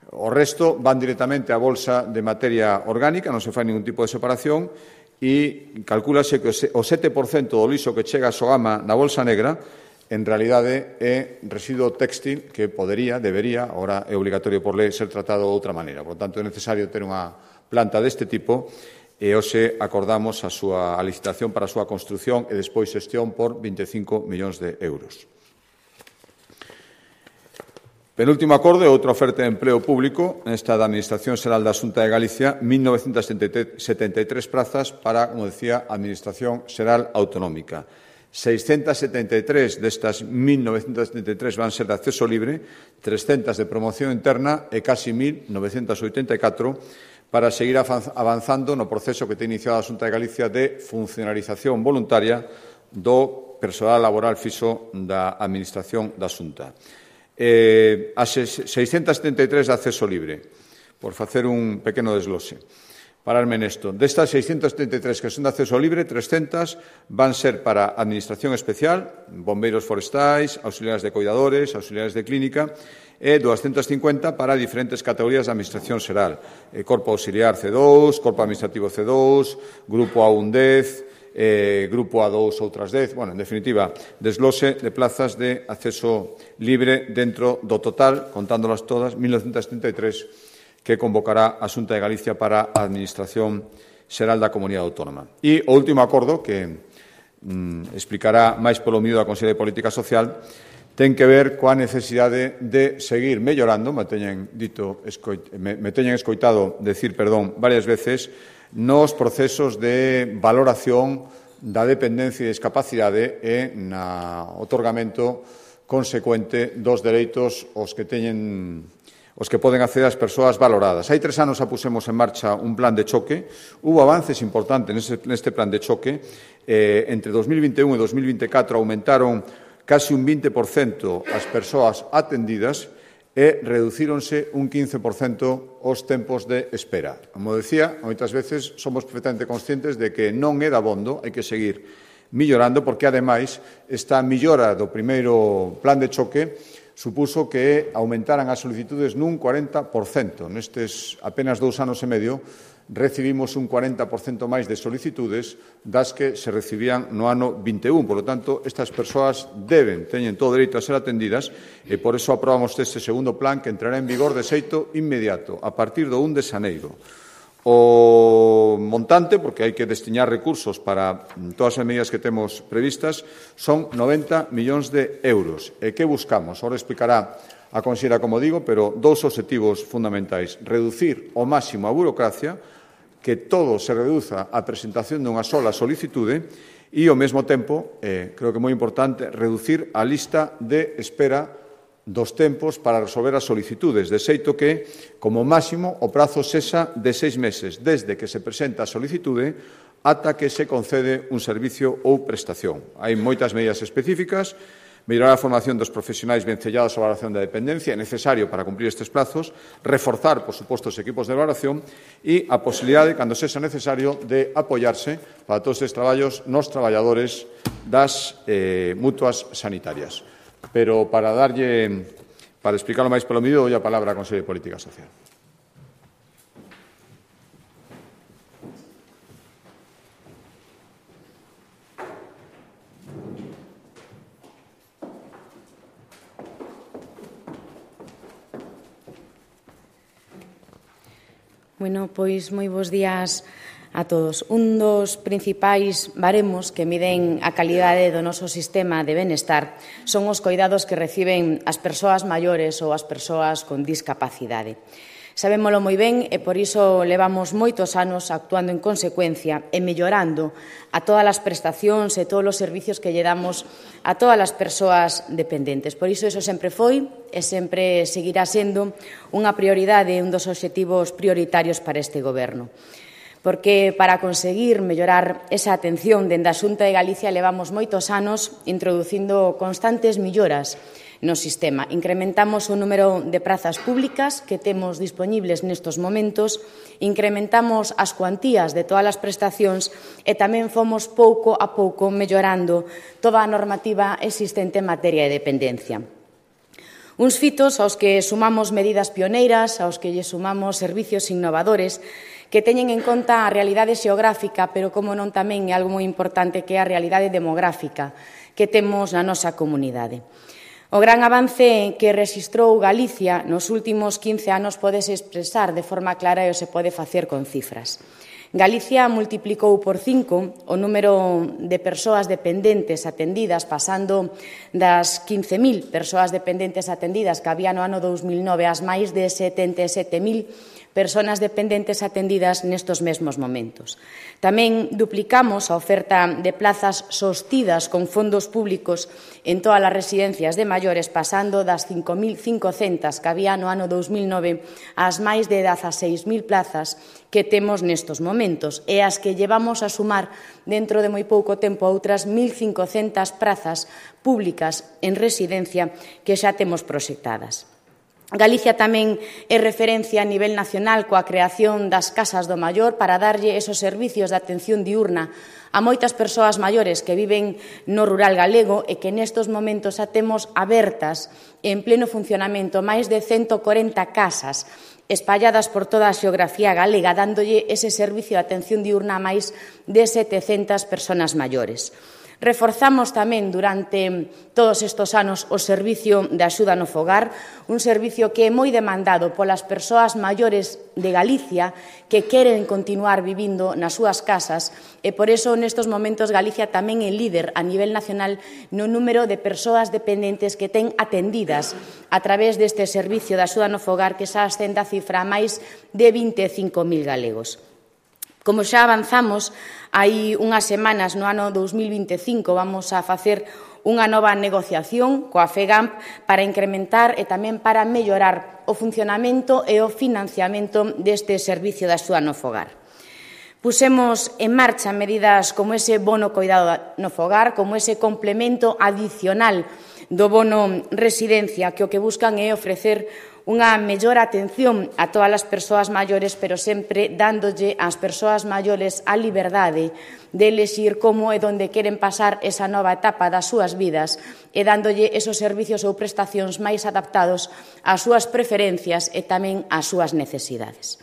O resto van directamente á bolsa de materia orgánica, non se fai ningún tipo de separación, e calcúlase que o sete por cento do lixo que chega a Sogama na bolsa negra en realidade é residuo téxtil que podería, debería, agora é obligatorio por lei, ser tratado de outra maneira. Por tanto, é necesario ter unha planta deste tipo e hoxe acordamos a súa a licitación para a súa construción e despois xestión por vinte e cinco millóns de euros. Penúltimo acordo é outra oferta de empleo público, esta da Administración Xeral da Xunta de Galicia, mil novecentas setenta e tres prazas para, como decía, a Administración Xeral Autonómica. seiscentas setenta e tres destas mil novecentas setenta e tres van ser de acceso libre, trescentas de promoción interna e casi mil novecentas oitenta e catro para seguir avanzando no proceso que ten iniciado a Xunta de Galicia de funcionalización voluntaria do persoal laboral fixo da Administración da Xunta. Eh, as seiscentas setenta e tres de acceso libre, por facer un pequeno desglose. Pararme nesto. Destas seiscentas setenta e tres que son de acceso libre, trescentas van ser para Administración Especial, bombeiros forestais, auxiliares de cuidadores, auxiliares de clínica, e doscientas cincuenta para diferentes categorías de Administración Xeral. Eh, Corpo Auxiliar C dous, Corpo Administrativo C dous, Grupo A un dez, eh, grupo A dous outras dez, bueno, en definitiva, desglose de plazas de acceso libre dentro do total, contándolas todas, mil novecentos setenta e tres, que convocará a Xunta de Galicia para a Administración Xeral da Comunidade Autónoma. E o último acordo, que mm, explicará máis polo miúdo a Consellería de Política Social, ten que ver coa necesidade de seguir mellorando, me teñen, dito, escoit, me, me teñen escoitado decir, perdón, varias veces, nos procesos de valoración da dependencia e discapacidade e na otorgamento consecuente dos dereitos aos que teñen os que poden acceder as persoas valoradas. Hai tres anos a pusemos en marcha un plan de choque. Hubo avances importantes neste, neste plan de choque. Eh, entre dos mil vinte e un e dos mil vinte e catro aumentaron casi un vinte por cento as persoas atendidas e reducíronse un quince por cento os tempos de espera. Como decía, moitas veces somos perfectamente conscientes de que non é dabondo, hai que seguir millorando, porque, ademais, esta millora do primeiro plan de choque supuso que aumentaran as solicitudes nun cuarenta por cento. Nestes apenas dous anos e medio, recibimos un cuarenta por cento máis de solicitudes das que se recibían no ano vinte e un. Por lo tanto, estas persoas deben, teñen todo o dereito a ser atendidas e por eso aprobamos este segundo plan que entrará en vigor de xeito inmediato, a partir do un de xaneiro. O montante, porque hai que destiñar recursos para todas as medidas que temos previstas, son noventa millóns de euros. E que buscamos? Ahora explicará a conselleira, como digo, pero dous obxectivos fundamentais. Reducir ao máximo a burocracia, que todo se reduza a presentación dunha sola solicitude e, ao mesmo tempo, eh, creo que é moi importante, reducir a lista de espera dos tempos para resolver as solicitudes, de xeito que, como máximo, o prazo sexa de seis meses, desde que se presenta a solicitude ata que se concede un servicio ou prestación. Hai moitas medidas específicas. Mellorar a formación dos profesionais vencellados á valoración da dependencia é necesario para cumprir estes plazos, reforzar, por suposto, os equipos de valoración e a posibilidade, cando sexa necesario, de apoiarse para todos estes traballos nos traballadores das eh, mutuas sanitarias. Pero para darlle, para explicarlo máis polo miúdo, doy a palabra á Conselleira de Política Social. Bueno, pois moi bons días a todos. Un dos principais baremos que miden a calidade do noso sistema de benestar son os coidados que reciben as persoas maiores ou as persoas con discapacidade. Sabémolo moi ben e por iso levamos moitos anos actuando en consecuencia e mellorando a todas as prestacións e todos os servicios que lle damos a todas as persoas dependentes. Por iso iso sempre foi e sempre seguirá sendo unha prioridade, un dos obxectivos prioritarios para este Goberno. Porque para conseguir mellorar esa atención dende a Xunta de Galicia levamos moitos anos introducindo constantes melloras no sistema. Incrementamos o número de prazas públicas que temos dispoñibles nestos momentos, incrementamos as cuantías de todas as prestacións e tamén fomos pouco a pouco mellorando toda a normativa existente en materia de dependencia. Uns fitos aos que sumamos medidas pioneiras, aos que lle sumamos servicios innovadores que teñen en conta a realidade xeográfica, pero como non tamén é algo moi importante que é a realidade demográfica que temos na nosa comunidade. O gran avance que rexistrou Galicia nos últimos quince anos pódese expresar de forma clara e se pode facer con cifras. Galicia multiplicou por cinco o número de persoas dependentes atendidas, pasando das quince mil persoas dependentes atendidas que había no ano dous mil nove ás máis de setenta e sete mil persoas dependentes atendidas nestos mesmos momentos. Tamén duplicamos a oferta de plazas sostidas con fondos públicos en todas as residencias de maiores, pasando das cinco mil cincocentas que había no ano dous mil nove ás máis de dezaseis mil plazas que temos nestos momentos e as que llevamos a sumar dentro de moi pouco tempo outras mil cincocentas prazas públicas en residencia que xa temos proxectadas. Galicia tamén é referencia a nivel nacional coa creación das casas do maior para darlle esos servicios de atención diurna a moitas persoas maiores que viven no rural galego e que nestos momentos xa temos abertas en pleno funcionamento máis de ciento corenta casas espalladas por toda a xeografía galega, dándolle ese servicio de atención diurna a máis de setecentas persoas maiores. Reforzamos tamén durante todos estes anos o servicio de axuda no fogar, un servicio que é moi demandado polas persoas maiores de Galicia que queren continuar vivindo nas súas casas e por iso nestes momentos Galicia tamén é líder a nivel nacional no número de persoas dependentes que ten atendidas a través deste servicio de axuda no fogar que xa ascende a cifra a máis de vinte e cinco mil galegos. Como xa avanzamos, hai unhas semanas no ano dous mil vinte e cinco vamos a facer unha nova negociación coa FEGAMP para incrementar e tamén para mellorar o funcionamento e o financiamento deste servicio de axuda no fogar. Pusemos en marcha medidas como ese bono coidado no fogar, como ese complemento adicional do bono residencia, que o que buscan é ofrecer unha mellor atención a todas as persoas maiores, pero sempre dándolle ás persoas maiores a liberdade de elexir como e onde queren pasar esa nova etapa das súas vidas e dándolle esos servicios ou prestacións máis adaptados ás súas preferencias e tamén ás súas necesidades.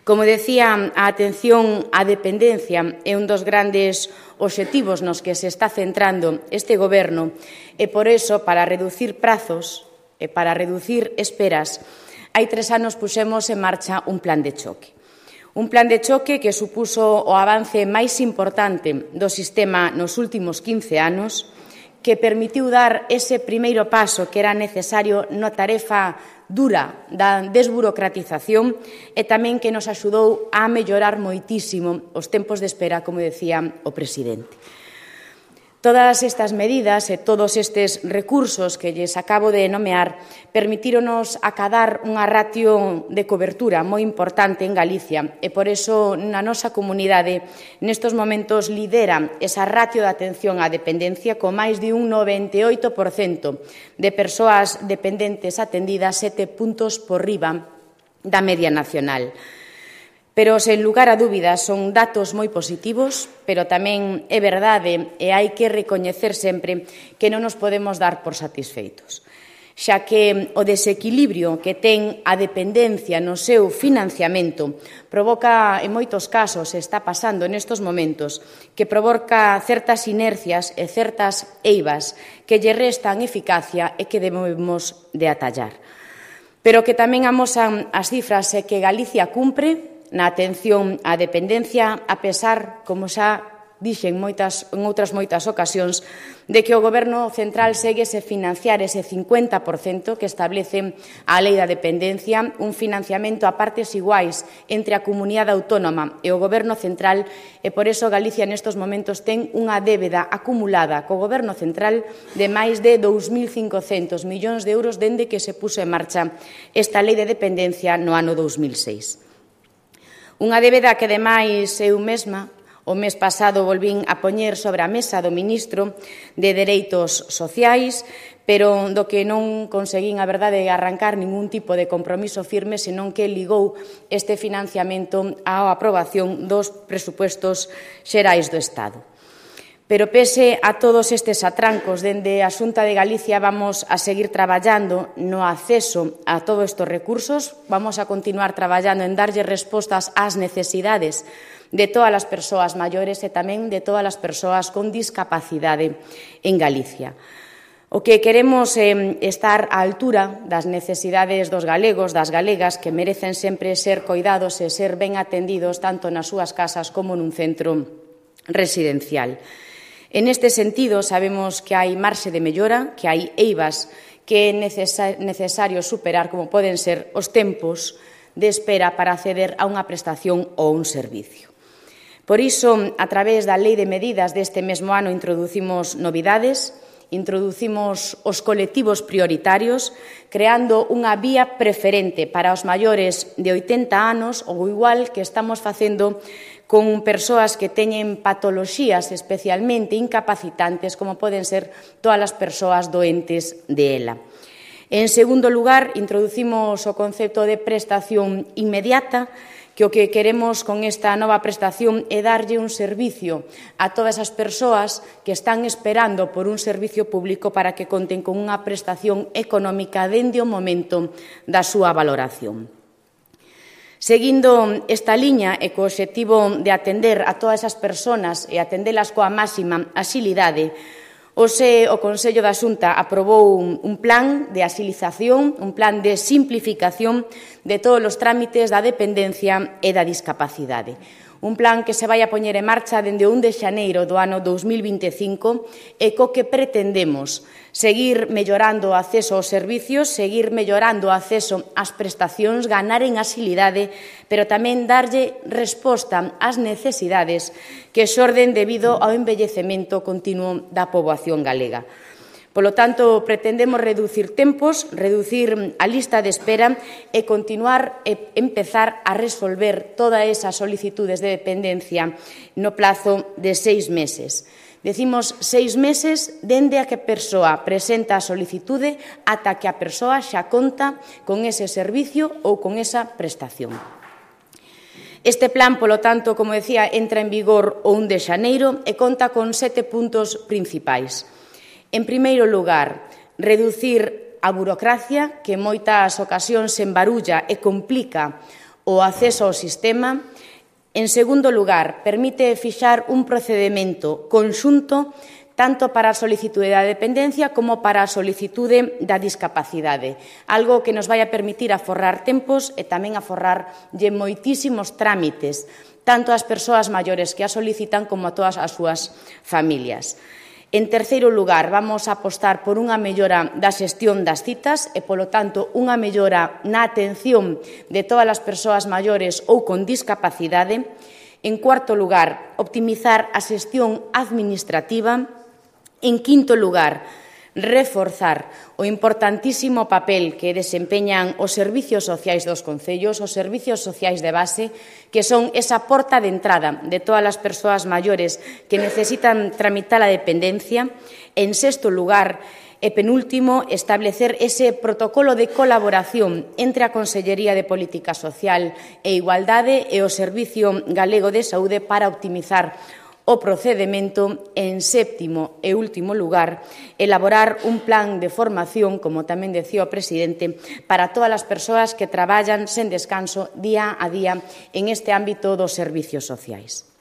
Como decía, a atención á dependencia é un dos grandes obxectivos nos que se está centrando este Goberno e, por iso, para reducir prazos e para reducir esperas, hai tres anos puxemos en marcha un plan de choque. Un plan de choque que supuso o avance máis importante do sistema nos últimos quince anos, que permitiu dar ese primeiro paso que era necesario na tarefa dura da desburocratización e tamén que nos axudou a mellorar moitísimo os tempos de espera, como decía o presidente. Todas estas medidas e todos estes recursos que lles acabo de nomear permitíronos acadar unha ratio de cobertura moi importante en Galicia e por iso na nosa comunidade nestes momentos lidera esa ratio de atención á dependencia con máis de un noventa e oito por cento de persoas dependentes atendidas, sete puntos por riba da media nacional. Pero, sen lugar a dúbidas, son datos moi positivos, pero tamén é verdade e hai que recoñecer sempre que non nos podemos dar por satisfeitos, xa que o desequilibrio que ten a dependencia no seu financiamento provoca, en moitos casos, está pasando nestes momentos, que provoca certas inercias e certas eivas que lle restan eficacia e que debemos de atallar. Pero que tamén amosan as cifras é que Galicia cumpre na atención á dependencia, a pesar, como xa dixen moitas, en outras moitas ocasións, de que o Goberno central segue se financiar ese cincuenta por cento que establece a Lei da Dependencia, un financiamento a partes iguais entre a Comunidade Autónoma e o Goberno central, e por iso Galicia nestes momentos ten unha débeda acumulada co Goberno central de máis de dous mil cincocentos millóns de euros dende que se puso en marcha esta Lei de Dependencia no ano dous mil seis. Unha débeda que, ademais, eu mesma, o mes pasado, volvín a poñer sobre a mesa do ministro de Dereitos Sociais, pero do que non conseguín, a verdade, arrancar ningún tipo de compromiso firme, senón que ligou este financiamento á aprobación dos presupuestos xerais do Estado. Pero pese a todos estes atrancos, dende a Xunta de Galicia vamos a seguir traballando no acceso a todos estes recursos, vamos a continuar traballando en darlle respostas ás necesidades de todas as persoas maiores e tamén de todas as persoas con discapacidade en Galicia. O que queremos é estar á altura das necesidades dos galegos, das galegas, que merecen sempre ser coidados e ser ben atendidos tanto nas súas casas como nun centro residencial. En este sentido, sabemos que hai marxe de mellora, que hai eivas que é necesario superar, como poden ser os tempos de espera para acceder a unha prestación ou un servicio. Por iso, a través da Lei de Medidas deste mesmo ano, introducimos novidades, introducimos os colectivos prioritarios, creando unha vía preferente para os maiores de oitenta anos, ou igual que estamos facendo con persoas que teñen patoloxías especialmente incapacitantes, como poden ser todas as persoas doentes de ELA. En segundo lugar, introducimos o concepto de prestación inmediata, que o que queremos con esta nova prestación é darlle un servicio a todas as persoas que están esperando por un servicio público para que conten con unha prestación económica dende o momento da súa valoración. Seguindo esta liña e co obxectivo de atender a todas as persoas e atendelas coa máxima axilidade, hoxe o Consello da Xunta aprobou un, un plan de axilización, un plan de simplificación de todos os trámites da dependencia e da discapacidade. Un plan que se vai a poñer en marcha dende o un de xaneiro do ano dous mil vinte e cinco e co que pretendemos seguir mellorando o acceso aos servicios, seguir mellorando o acceso ás prestacións, ganar en axilidade, pero tamén darlle resposta ás necesidades que xorden debido ao envellecemento continuo da poboación galega. Polo tanto, pretendemos reducir tempos, reducir a lista de espera e continuar e empezar a resolver todas esas solicitudes de dependencia no plazo de seis meses. Decimos seis meses dende a que a persoa presenta a solicitude ata que a persoa xa conta con ese servicio ou con esa prestación. Este plan, polo tanto, como decía, entra en vigor o un de xaneiro e conta con sete puntos principais. En primeiro lugar, reducir a burocracia que en moitas ocasións se embarulla e complica o acceso ao sistema. En segundo lugar, permite fixar un procedemento conxunto tanto para a solicitude da dependencia como para a solicitude da discapacidade, algo que nos vai a permitir aforrar tempos e tamén aforrarlle moitísimos trámites, tanto ás persoas maiores que a solicitan como a todas as súas familias. En terceiro lugar, vamos a apostar por unha mellora da xestión das citas e, polo tanto, unha mellora na atención de todas as persoas maiores ou con discapacidade. En cuarto lugar, optimizar a xestión administrativa. En quinto lugar, reforzar o importantísimo papel que desempeñan os servicios sociais dos concellos, os servicios sociais de base, que son esa porta de entrada de todas as persoas maiores que necesitan tramitar a dependencia. En sexto lugar, e penúltimo, establecer ese protocolo de colaboración entre a Consellería de Política Social e Igualdade e o Servicio Galego de Saúde para optimizar o procedemento. En séptimo e último lugar, elaborar un plan de formación, como tamén decía o presidente, para todas as persoas que traballan sen descanso día a día en este ámbito dos servicios sociais.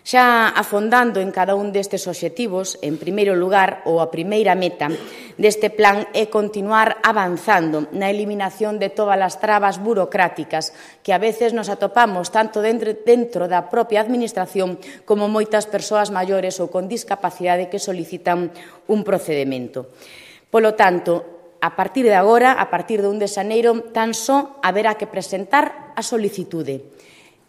Xa afondando en cada un destes obxectivos, en primeiro lugar, ou a primeira meta deste plan é continuar avanzando na eliminación de todas as trabas burocráticas que a veces nos atopamos tanto dentro, dentro da propia administración como moitas persoas maiores ou con discapacidade que solicitan un procedemento. Polo tanto, a partir de agora, a partir de un de xaneiro, tan só haberá que presentar a solicitude.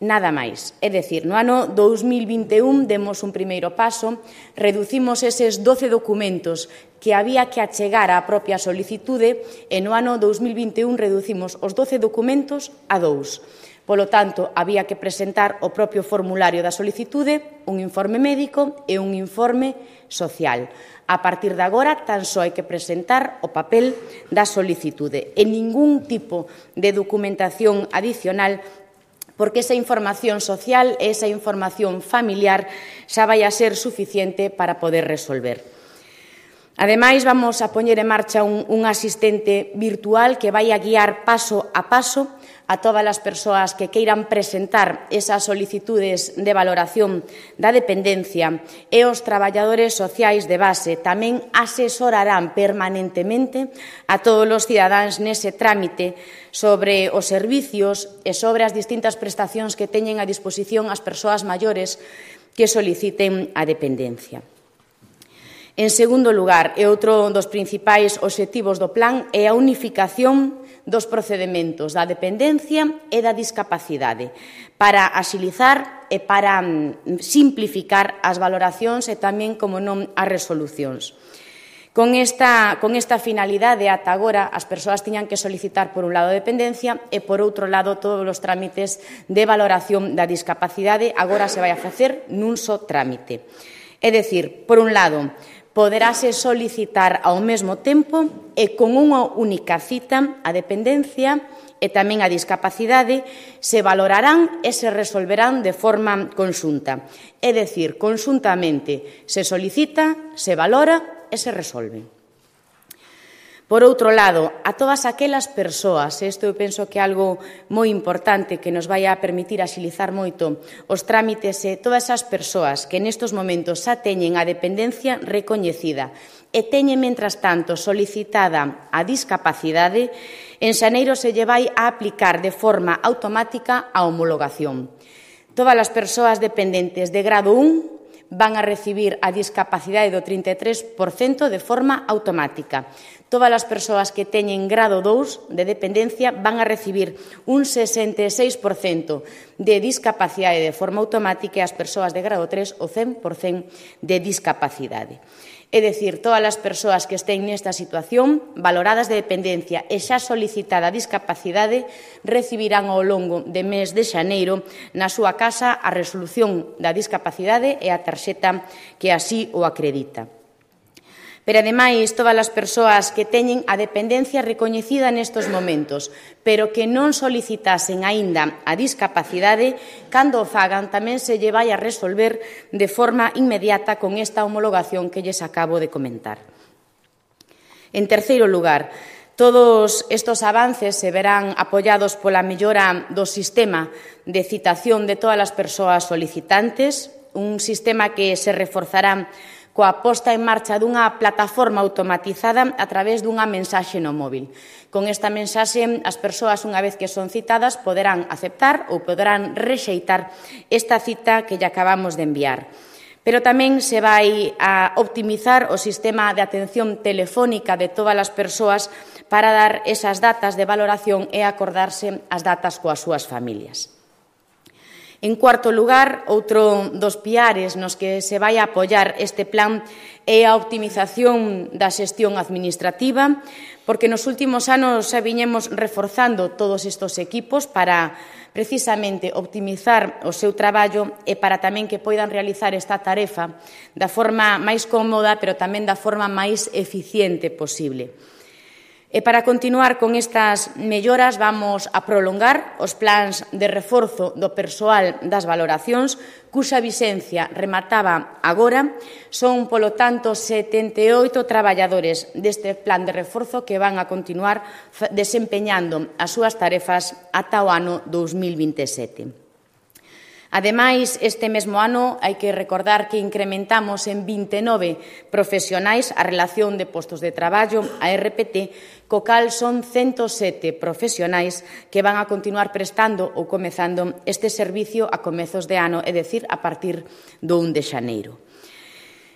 Nada máis. É dicir, no ano dous mil vinte e un demos un primeiro paso, reducimos eses doce documentos que había que achegar á propia solicitude e no ano dous mil vinte e un reducimos os doce documentos a dous. Polo tanto, había que presentar o propio formulario da solicitude, un informe médico e un informe social. A partir de agora, tan só hai que presentar o papel da solicitude e ningún tipo de documentación adicional, porque esa información social e esa información familiar xa vai a ser suficiente para poder resolver. Ademais, vamos a poñer en marcha un, un asistente virtual que vai a guiar paso a paso a todas as persoas que queiran presentar esas solicitudes de valoración da dependencia e os traballadores sociais de base tamén asesorarán permanentemente a todos os cidadáns nese trámite sobre os servicios e sobre as distintas prestacións que teñen a disposición as persoas maiores que soliciten a dependencia. En segundo lugar, e outro dos principais obxectivos do plan é a unificación dos procedementos da dependencia e da discapacidade para axilizar e para simplificar as valoracións e tamén, como non, as resolucións. Con esta, con esta finalidade, ata agora, as persoas tiñan que solicitar, por un lado, a dependencia e, por outro lado, todos os trámites de valoración da discapacidade. Agora se vai a facer nun só trámite. É dicir, por un lado, poderase solicitar ao mesmo tempo e con unha única cita a dependencia e tamén a discapacidade se valorarán e se resolverán de forma conxunta. É dicir, conxuntamente se solicita, se valora e se resolve. Por outro lado, a todas aquelas persoas, isto eu penso que é algo moi importante que nos vai a permitir axilizar moito os trámites, e todas esas persoas que nestes momentos xa teñen a dependencia recoñecida e teñen, mentras tanto, solicitada a discapacidade, en xaneiro se lle vai a aplicar de forma automática a homologación. Todas as persoas dependentes de grado un van a recibir a discapacidade do trinta e tres por cento de forma automática. Todas as persoas que teñen grado dous de dependencia van a recibir un sesenta e seis por cento de discapacidade de forma automática e as persoas de grado tres o cen por cento de discapacidade. É dicir, todas as persoas que estén nesta situación, valoradas de dependencia e xa solicitada a discapacidade, recibirán ao longo de mes de xaneiro na súa casa a resolución da discapacidade e a tarxeta que así o acredita. Pero, ademais, todas as persoas que teñen a dependencia recoñecida nestes momentos, pero que non solicitasen aínda a discapacidade, cando o fagan tamén se lle vai a resolver de forma inmediata con esta homologación que lles acabo de comentar. En terceiro lugar, todos estes avances se verán apoiados pola mellora do sistema de citación de todas as persoas solicitantes, un sistema que se reforzará coa posta en marcha dunha plataforma automatizada a través dunha mensaxe no móvil. Con esta mensaxe, as persoas, unha vez que son citadas, poderán aceptar ou poderán rexeitar esta cita que lle acabamos de enviar. Pero tamén se vai a optimizar o sistema de atención telefónica de todas as persoas para dar esas datas de valoración e acordarse as datas coas súas familias. En cuarto lugar, outro dos piares nos que se vai a apoiar este plan é a optimización da xestión administrativa, porque nos últimos anos xa viñemos reforzando todos estes equipos para precisamente optimizar o seu traballo e para tamén que poidan realizar esta tarefa da forma máis cómoda, pero tamén da forma máis eficiente posible. E para continuar con estas melloras vamos a prolongar os plans de reforzo do persoal das valoracións, cuxa vixencia remataba agora. Son, polo tanto, setenta e oito traballadores deste plan de reforzo que van a continuar desempeñando as súas tarefas ata o ano dous mil vinte e sete. Ademais, este mesmo ano hai que recordar que incrementamos en vinte e nove profesionais a relación de postos de traballo, a R P T, co cal son ciento sete profesionais que van a continuar prestando ou comezando este servicio a comezos de ano, é dicir, a partir do un de xaneiro.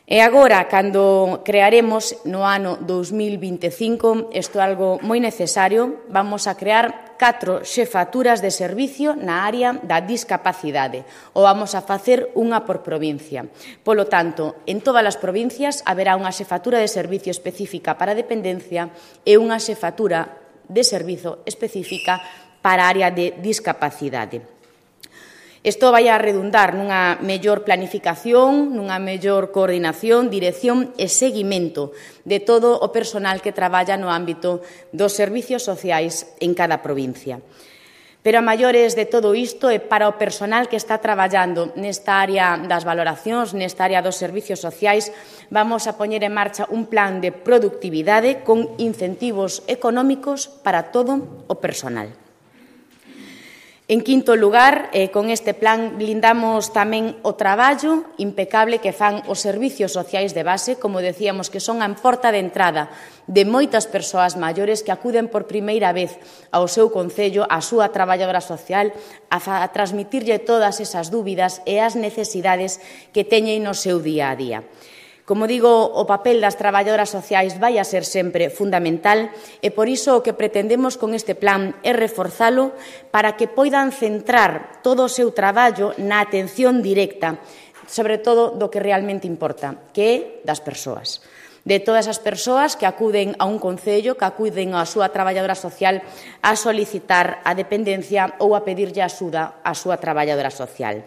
E agora, cando crearemos no ano dous mil vinte e cinco, isto é algo moi necesario, vamos a crear catro xefaturas de servicio na área da discapacidade, ou vamos a facer unha por provincia. Polo tanto, en todas as provincias haberá unha xefatura de servicio específica para a dependencia e unha xefatura de servizo específica para a área de discapacidade. Isto vai a redundar nunha mellor planificación, nunha mellor coordinación, dirección e seguimento de todo o personal que traballa no ámbito dos servicios sociais en cada provincia. Pero a maiores de todo isto e para o personal que está traballando nesta área das valoracións, nesta área dos servicios sociais, vamos a poñer en marcha un plan de productividade con incentivos económicos para todo o personal. En quinto lugar, eh, con este plan blindamos tamén o traballo impecable que fan os servicios sociais de base, como decíamos, que son a porta de entrada de moitas persoas maiores que acuden por primeira vez ao seu concello, á súa traballadora social, a, a transmitirlle todas esas dúbidas e as necesidades que teñen no seu día a día. Como digo, o papel das traballadoras sociais vai a ser sempre fundamental e por iso o que pretendemos con este plan é reforzalo para que poidan centrar todo o seu traballo na atención directa, sobre todo do que realmente importa, que é das persoas. De todas as persoas que acuden a un concello, que acuden á súa traballadora social a solicitar a dependencia ou a pedirlle axuda á súa traballadora social.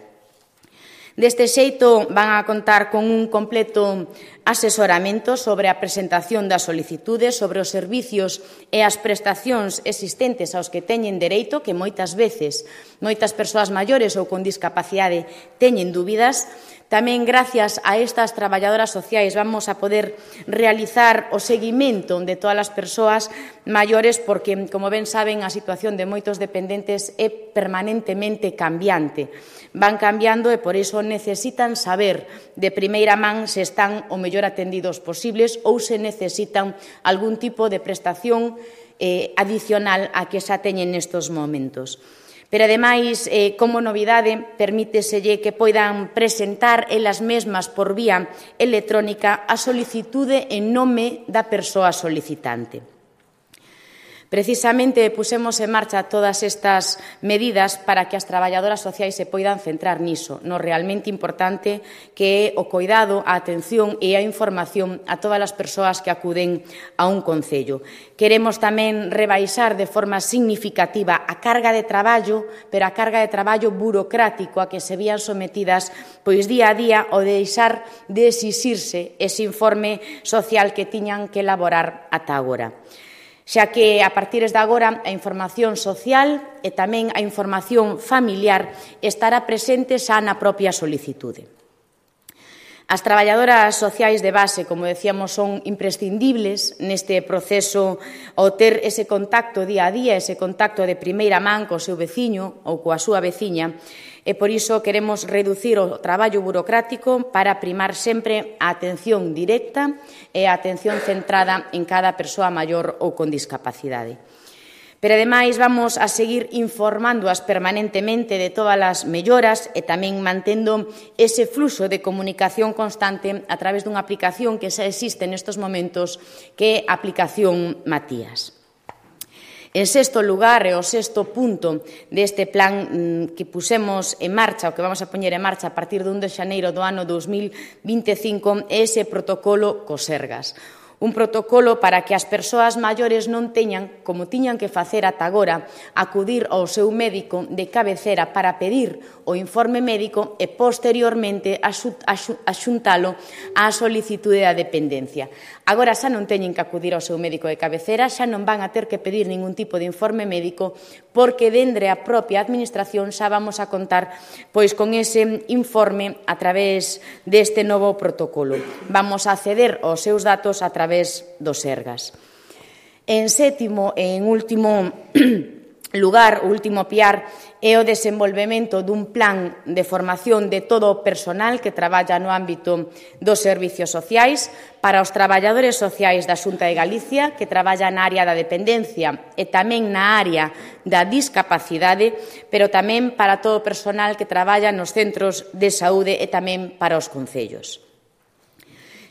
Deste xeito, van a contar con un completo asesoramento sobre a presentación das solicitudes, sobre os servicios e as prestacións existentes aos que teñen dereito, que moitas veces, moitas persoas maiores ou con discapacidade teñen dúbidas. Tamén, gracias a estas traballadoras sociais, vamos a poder realizar o seguimento de todas as persoas maiores porque, como ben saben, a situación de moitos dependentes é permanentemente cambiante. Van cambiando e, por iso, necesitan saber de primeira man se están o mellor atendidos posibles ou se necesitan algún tipo de prestación eh, adicional a que xa teñen nestes momentos. Pero, ademais, eh, como novidade, permíteselle que poidan presentar elas mesmas por vía electrónica a solicitude en nome da persoa solicitante. Precisamente pusemos en marcha todas estas medidas para que as traballadoras sociais se poidan centrar niso, no realmente importante que é o coidado, a atención e a información a todas as persoas que acuden a un concello. Queremos tamén rebaixar de forma significativa a carga de traballo, pero a carga de traballo burocrático a que se vían sometidas pois día a día o deixar de exixirse ese informe social que tiñan que elaborar ata agora. Xa que, a partir de agora, a información social e tamén a información familiar estará presente xa na propia solicitude. As traballadoras sociais de base, como decíamos, son imprescindibles neste proceso ao ter ese contacto día a día, ese contacto de primeira man co seu veciño ou coa súa veciña, e por iso queremos reducir o traballo burocrático para primar sempre a atención directa e a atención centrada en cada persoa maior ou con discapacidade. Pero, ademais, vamos a seguir informándoas permanentemente de todas as melloras e tamén mantendo ese fluxo de comunicación constante a través dunha aplicación que xa existe nestes momentos, que é a aplicación Matías. En sexto lugar, e o sexto punto deste plan que pusemos en marcha, o que vamos a poñer en marcha a partir do un de xaneiro do ano dos mil vinte e cinco, é ese protocolo co Sergas. Un protocolo para que as persoas maiores non teñan, como tiñan que facer ata agora, acudir ao seu médico de cabecera para pedir o informe médico e, posteriormente, axuntalo á solicitude da dependencia. Agora xa non teñen que acudir ao seu médico de cabecera, xa non van a ter que pedir ningún tipo de informe médico, porque dende a propia administración xa vamos a contar pois con ese informe a través deste novo protocolo. Vamos a acceder aos seus datos a través do Sergas. En sétimo e en último lugar, o último piar, é o desenvolvemento dun plan de formación de todo o personal que traballa no ámbito dos servicios sociais para os traballadores sociais da Xunta de Galicia que traballa na área da dependencia e tamén na área da discapacidade, pero tamén para todo o personal que traballa nos centros de saúde e tamén para os concellos.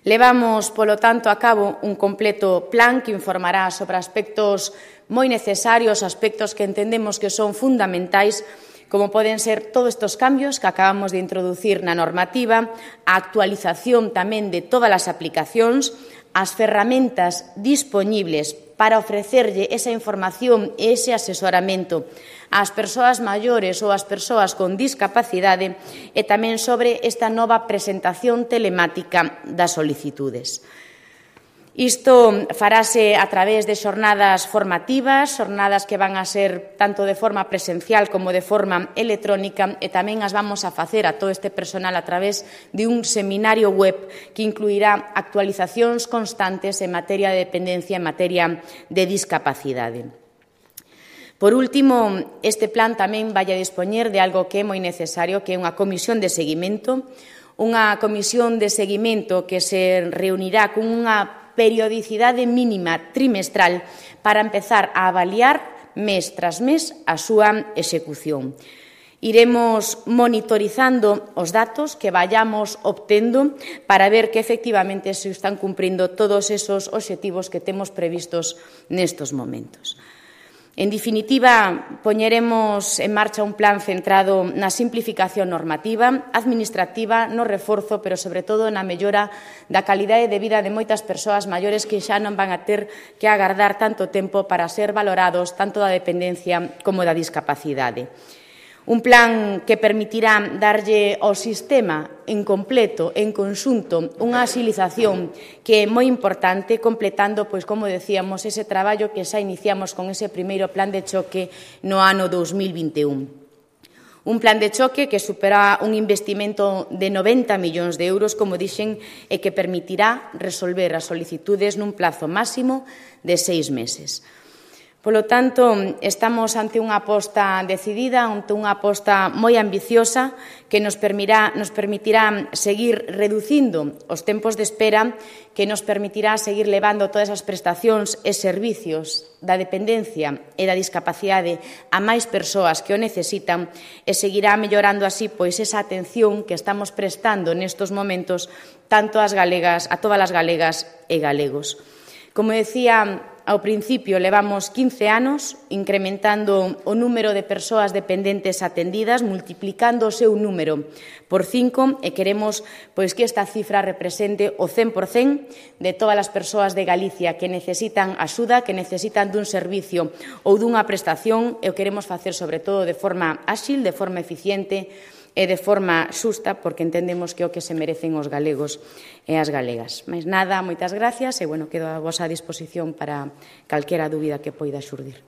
Levamos, polo tanto, a cabo un completo plan que informará sobre aspectos moi necesarios, aspectos que entendemos que son fundamentais, como poden ser todos estes cambios que acabamos de introducir na normativa, a actualización tamén de todas as aplicacións, as ferramentas dispoñibles para ofrecerlle esa información e ese asesoramento ás persoas maiores ou ás persoas con discapacidade e tamén sobre esta nova presentación telemática das solicitudes. Isto farase a través de xornadas formativas, xornadas que van a ser tanto de forma presencial como de forma electrónica e tamén as vamos a facer a todo este personal a través de un seminario web que incluirá actualizacións constantes en materia de dependencia, en materia de discapacidade. Por último, este plan tamén vai a dispoñer de algo que é moi necesario, que é unha comisión de seguimento, unha comisión de seguimento que se reunirá con unha periodicidade mínima trimestral para empezar a avaliar mes tras mes a súa execución. Iremos monitorizando os datos que vayamos obtendo para ver que efectivamente se están cumprindo todos esos obxectivos que temos previstos nestos momentos. En definitiva, poñeremos en marcha un plan centrado na simplificación normativa, administrativa, no reforzo, pero sobre todo na mellora da calidade de vida de moitas persoas maiores que xa non van a ter que agardar tanto tempo para ser valorados tanto da dependencia como da discapacidade. Un plan que permitirá darlle ao sistema en completo, en conxunto, unha axilización que é moi importante, completando, pois, como decíamos, ese traballo que xa iniciamos con ese primeiro plan de choque no ano dos mil vinte e un. Un plan de choque que supera un investimento de noventa millóns de euros, como dixen, e que permitirá resolver as solicitudes nun plazo máximo de seis meses. Polo tanto, estamos ante unha aposta decidida, ante unha aposta moi ambiciosa que nos permitirá, nos permitirá seguir reducindo os tempos de espera, que nos permitirá seguir levando todas as prestacións e servicios da dependencia e da discapacidade a máis persoas que o necesitan e seguirá mellorando así pois esa atención que estamos prestando nestos momentos tanto ás galegas, a todas as galegas e galegos. Como decía ao principio, levamos quince anos incrementando o número de persoas dependentes atendidas, multiplicando o seu número por cinco, e queremos pois, que esta cifra represente o cen por cen de todas as persoas de Galicia que necesitan axuda, que necesitan dun servicio ou dunha prestación, e o queremos facer sobre todo de forma áxil, de forma eficiente e de forma xusta, porque entendemos que é o que se merecen os galegos e as galegas. Mais nada, moitas gracias e, bueno, quedo a vosa disposición para calquera dúbida que poida xurdir.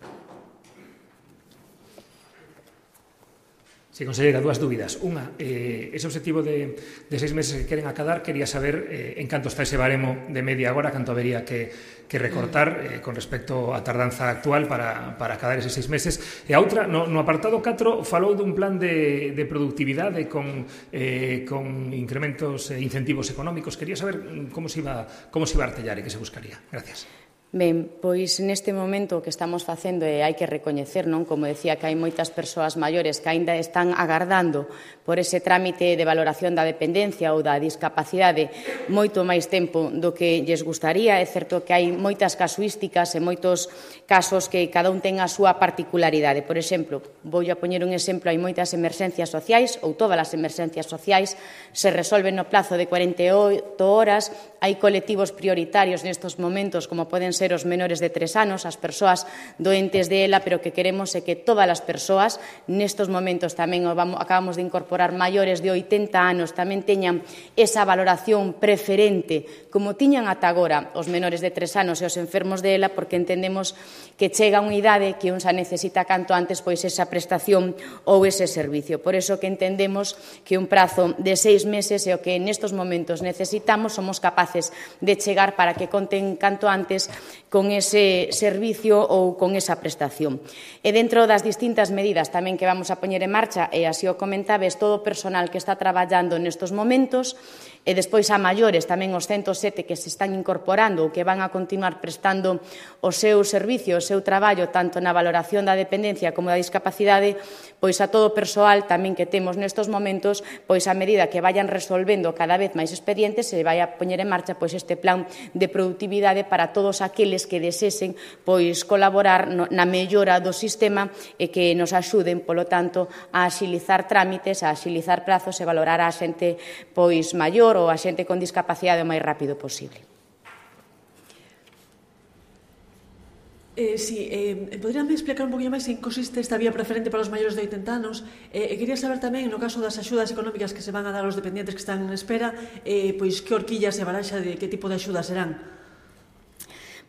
Si, conselleira, dúas dúbidas. Unha, eh, ese objetivo de, de seis meses que queren acadar, quería saber eh, en canto está ese baremo de media agora, canto habería que, que recortar eh, con respecto á tardanza actual para, para acadar eses seis meses. E a outra, no, no apartado catro, falou dun plan de, de productividade con, eh, con incrementos e incentivos económicos. Quería saber como se iba, como se iba a artellar e que se buscaría. Gracias. Ben, pois neste momento o que estamos facendo e hai que recoñecer, non? Como decía, que hai moitas persoas maiores que aínda están agardando por ese trámite de valoración da dependencia ou da discapacidade moito máis tempo do que lles gustaría. É certo que hai moitas casuísticas e moitos casos que cada un ten a súa particularidade. Por exemplo, vou a poñer un exemplo, hai moitas emerxencias sociais ou todas as emerxencias sociais se resolven no plazo de cuarenta e oito horas. Hai colectivos prioritarios nestes momentos, como poden ser os menores de tres anos, as persoas doentes de ela, pero que queremos é que todas as persoas, nestes momentos tamén acabamos de incorporar maiores de oitenta anos, tamén teñan esa valoración preferente, como tiñan ata agora os menores de tres anos e os enfermos de ela, porque entendemos que chega unha idade que un xa necesita canto antes pois esa prestación ou ese servicio. Por iso que entendemos que un prazo de seis meses é o que nestes momentos necesitamos, somos capaces de chegar para que conten canto antes con ese servicio ou con esa prestación. E dentro das distintas medidas tamén que vamos a poñer en marcha, e así o comentabes, todo o personal que está traballando nestes momentos, e despois a maiores, tamén os ciento sete que se están incorporando ou que van a continuar prestando o seu servicio, o seu traballo, tanto na valoración da dependencia como da discapacidade, pois a todo o persoal tamén que temos nestes momentos, pois a medida que vayan resolvendo cada vez máis expedientes, se vai a poñer en marcha pois este plan de productividade para todos aqueles que desesen pois colaborar no, na mellora do sistema e que nos axuden, polo tanto, a axilizar trámites, a axilizar prazos e valorar a xente pois maior ou a xente con discapacidade o máis rápido posible. Eh, sí, eh, poderíame explicar un poquinho máis en consiste esta vía preferente para os maiores de oitenta anos? Eh, e quería saber tamén, no caso das axudas económicas que se van a dar aos dependentes que están en espera, eh, pois que horquillas e baraxa de que tipo de axudas serán?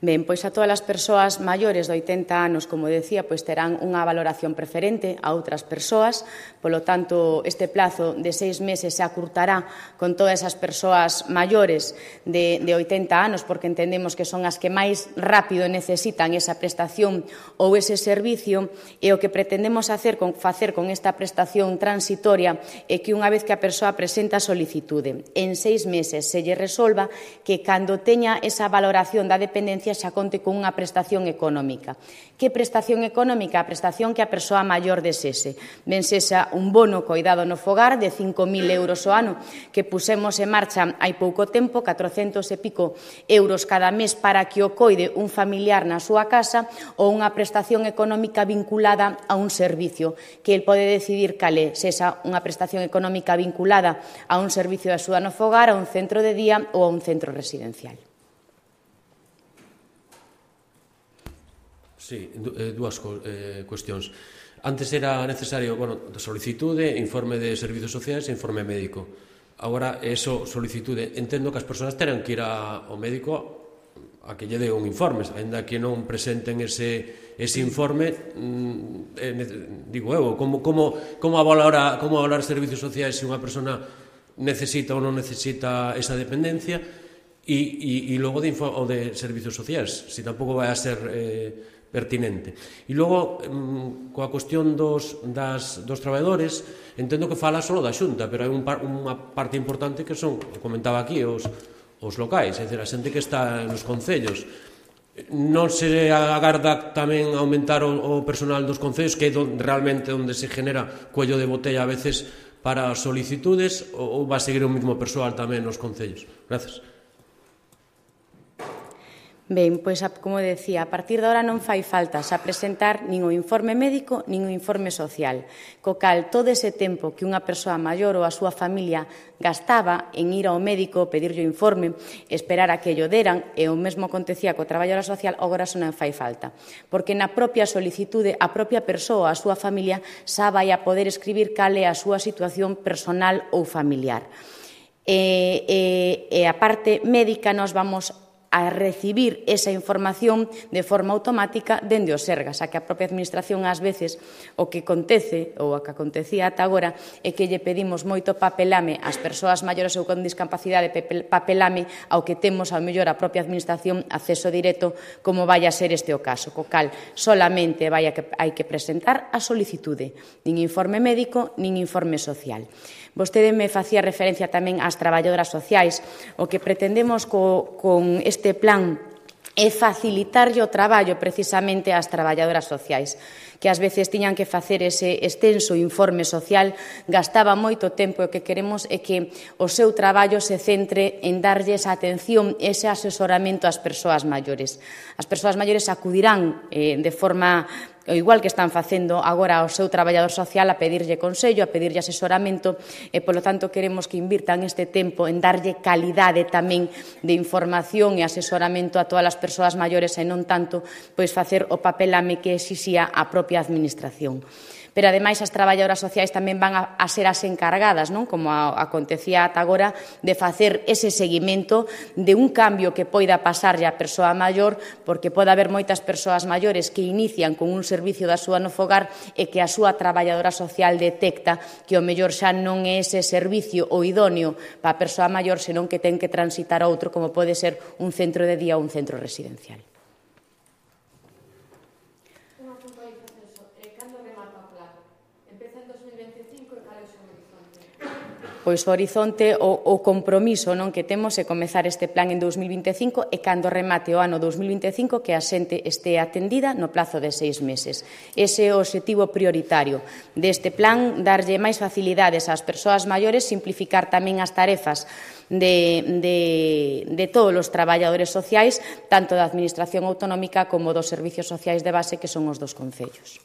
Ben, pois a todas as persoas maiores de oitenta anos, como decía, pois terán unha valoración preferente a outras persoas, polo tanto, este plazo de seis meses se acurtará con todas as persoas maiores de, de oitenta anos, porque entendemos que son as que máis rápido necesitan esa prestación ou ese servicio, e o que pretendemos hacer con, facer con esta prestación transitoria é que unha vez que a persoa presenta a solicitude, en seis meses se lle resolva que cando teña esa valoración da dependencia xa conte con unha prestación económica. Que prestación económica? A prestación que a persoa maior desese. Ben sexa un bono coidado no fogar de cinco mil euros ao ano que pusemos en marcha hai pouco tempo, catrocentos e pico euros cada mes para que o coide un familiar na súa casa, ou unha prestación económica vinculada a un servicio que el pode decidir cal é, sexa unha prestación económica vinculada a un servicio de axuda no fogar, a un centro de día ou a un centro residencial. Sí, dúas eh, cuestións. Antes era necesario, bueno, solicitude, informe de servizos sociais e informe médico. Agora, eso, solicitude, entendo que as persoas terán que ir a, ao médico a que lle dé un informe, ainda que non presenten ese, ese informe, eh, digo eu, como, como, como valorar como valorar servicios sociais se unha persona necesita ou non necesita esa dependencia, e, e, e logo de, info, o de servicios sociais, se tampouco vai a ser eh, pertinente. E logo, um, coa cuestión dos, das, dos traballadores, entendo que fala só da Xunta, pero hai un par, unha parte importante que son, comentaba aquí, os, os locais, é dicir, a xente que está nos concellos. Non se agarda tamén aumentar o, o personal dos concellos, que é don, realmente onde se genera cuello de botella a veces para solicitudes, ou, ou va a seguir o mesmo persoal tamén nos concellos? Gracias. Ben, pois, como decía, a partir de ahora non fai falta xa presentar nin o informe médico nin o informe social, co cal todo ese tempo que unha persoa maior ou a súa familia gastaba en ir ao médico, pedirlle o informe, esperar a que llo deran, e o mesmo acontecía co traballadora social, agora xa non fai falta, porque na propia solicitude a propia persoa, a súa familia, xa vai a poder escribir cal é a súa situación personal ou familiar. E, e, e a parte médica nos vamos a recibir esa información de forma automática dende o Sergas, a que a propia Administración ás veces o que acontece, ou a que acontecía ata agora, é que lle pedimos moito papelame ás persoas maiores ou con discapacidade, papelame ao que temos ao mellor a propia Administración acceso directo, como vai a ser este o caso, co cal solamente vai a que, hai que presentar a solicitude, nin informe médico, nin informe social. Vostede me facía referencia tamén ás traballadoras sociais. O que pretendemos co, con este plan é facilitarlle o traballo precisamente ás traballadoras sociais, que ás veces tiñan que facer ese extenso informe social, gastaba moito tempo, e o que queremos é que o seu traballo se centre en darlles atención, ese asesoramento ás persoas maiores. As persoas maiores acudirán eh, de forma o igual que están facendo agora ao seu traballador social, a pedirlle consello, a pedirlle asesoramento, e, polo tanto, queremos que invirtan este tempo en darlle calidade tamén de información e asesoramento a todas as persoas maiores, e non tanto pois facer o papelame que exixía a propia Administración. Pero, ademais, as traballadoras sociais tamén van a, a ser as encargadas, non? Como a, acontecía ata agora, de facer ese seguimento de un cambio que poida pasarlle á persoa maior, porque pode haber moitas persoas maiores que inician con un servicio da súa no fogar e que a súa traballadora social detecta que o mellor xa non é ese servicio o idóneo para a persoa maior, senón que ten que transitar outro, como pode ser un centro de día ou un centro residencial. Pois o horizonte, o, o compromiso non que temos é comezar este plan en dous mil vinte e cinco, e cando remate o ano dous mil vinte e cinco que a xente este atendida no plazo de seis meses. Ese é o obxectivo prioritario deste plan, darlle máis facilidades ás persoas maiores, simplificar tamén as tarefas de, de, de todos os traballadores sociais, tanto da Administración autonómica como dos servicios sociais de base, que son os dos concellos.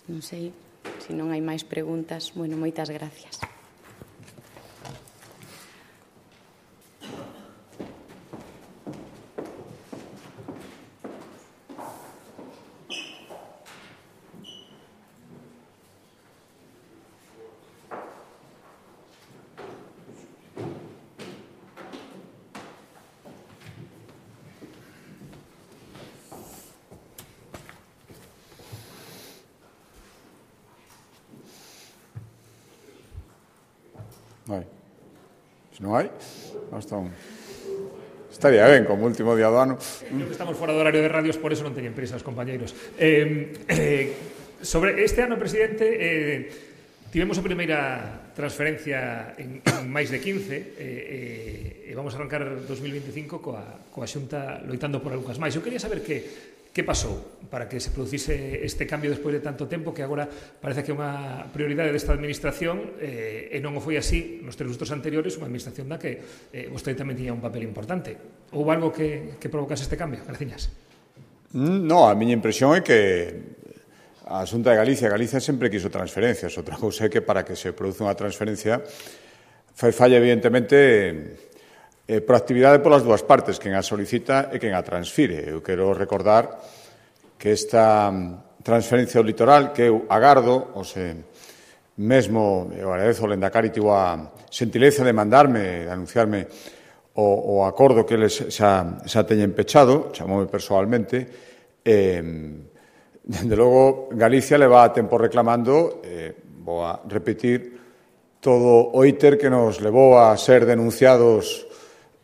Non sei, se non hai máis preguntas. Bueno, moitas gracias. Hai. Se non hai, basta un... Estaría ben, como último día do ano. Estamos fora do horario de radios, por eso non teñen prisa os compañeiros. Eh, eh, sobre este ano, presidente, eh, tivemos a primeira transferencia en, en máis de quince, e eh, eh, vamos a arrancar dos mil veinticinco coa, coa Xunta loitando por algunhas máis. Eu quería saber que Que pasou para que se producise este cambio despois de tanto tempo, que agora parece que é unha prioridade desta Administración, eh, e non o foi así nos tres lustros anteriores, unha Administración da que eh, vostede tamén tiña un papel importante. Houve algo que, que provocase este cambio? Graciñas. No, a miña impresión é que a Xunta de Galicia, Galicia sempre quiso transferencias. Outra cousa é que para que se produza unha transferencia fai falla, evidentemente, Eh, proactividade polas dúas partes, quen a solicita e quen a transfire. Eu quero recordar que esta transferencia ao litoral, que eu agardo, ou se, mesmo, eu agradezo ao Lendakari tivo a xentileza de mandarme, de anunciarme o, o acordo que eles xa, xa teñen pechado, chamoume persoalmente, e, dende logo, Galicia leva a tempo reclamando, eh, vou a repetir, todo o íter que nos levou a ser denunciados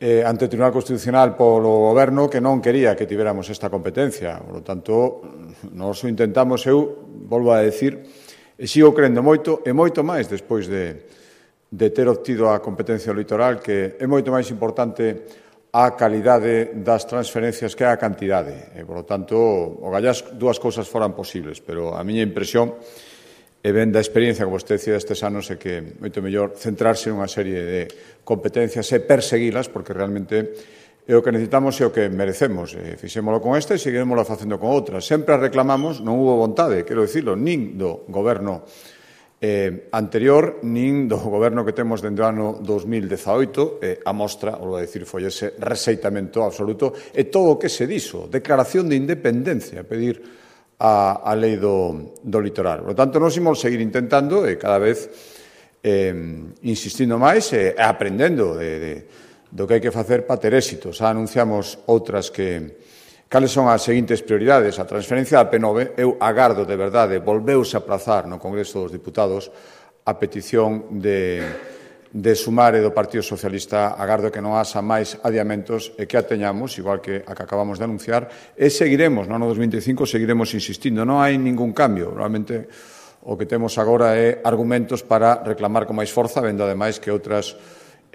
eh, ante o Tribunal Constitucional polo Goberno que non quería que tiveramos esta competencia. Por lo tanto, nos intentamos, eu, volvo a decir, e sigo crendo moito, e moito máis despois de, de ter obtido a competencia litoral, que é moito máis importante a calidade das transferencias que a cantidade. E, por lo tanto, o gallás dúas cousas foran posibles, pero a miña impresión e ben da experiencia que vostede decía estes anos é que moito mellor centrarse nunha serie de competencias e perseguilas, porque realmente é o que necesitamos e o que merecemos. E fixémolo con esta e seguiremoslo facendo con outras. Sempre a reclamamos, non hubo vontade, quero dicirlo, nin do goberno eh, anterior, nin do goberno que temos dende o ano dos mil dezaoito, eh, a mostra, volvo a decir, foi ese rexeitamento absoluto, e todo o que se dixo, declaración de independencia, pedir a, a lei do, do litoral. Por lo tanto, nos imos seguir intentando e cada vez eh, insistindo máis e aprendendo de, de, do que hai que facer para ter éxito. Xa anunciamos outras que... Cales son as seguintes prioridades? A transferencia da P nove, eu agardo de verdade, volveuse a aplazar no Congreso dos Diputados a petición de, de Sumare do Partido Socialista, agardo que non haxa máis adiamentos e que a teñamos, igual que a que acabamos de anunciar, e seguiremos, no ano dos vinte e cinco, seguiremos insistindo. Non hai ningún cambio. Realmente, o que temos agora é argumentos para reclamar con máis forza, vendo ademais que outras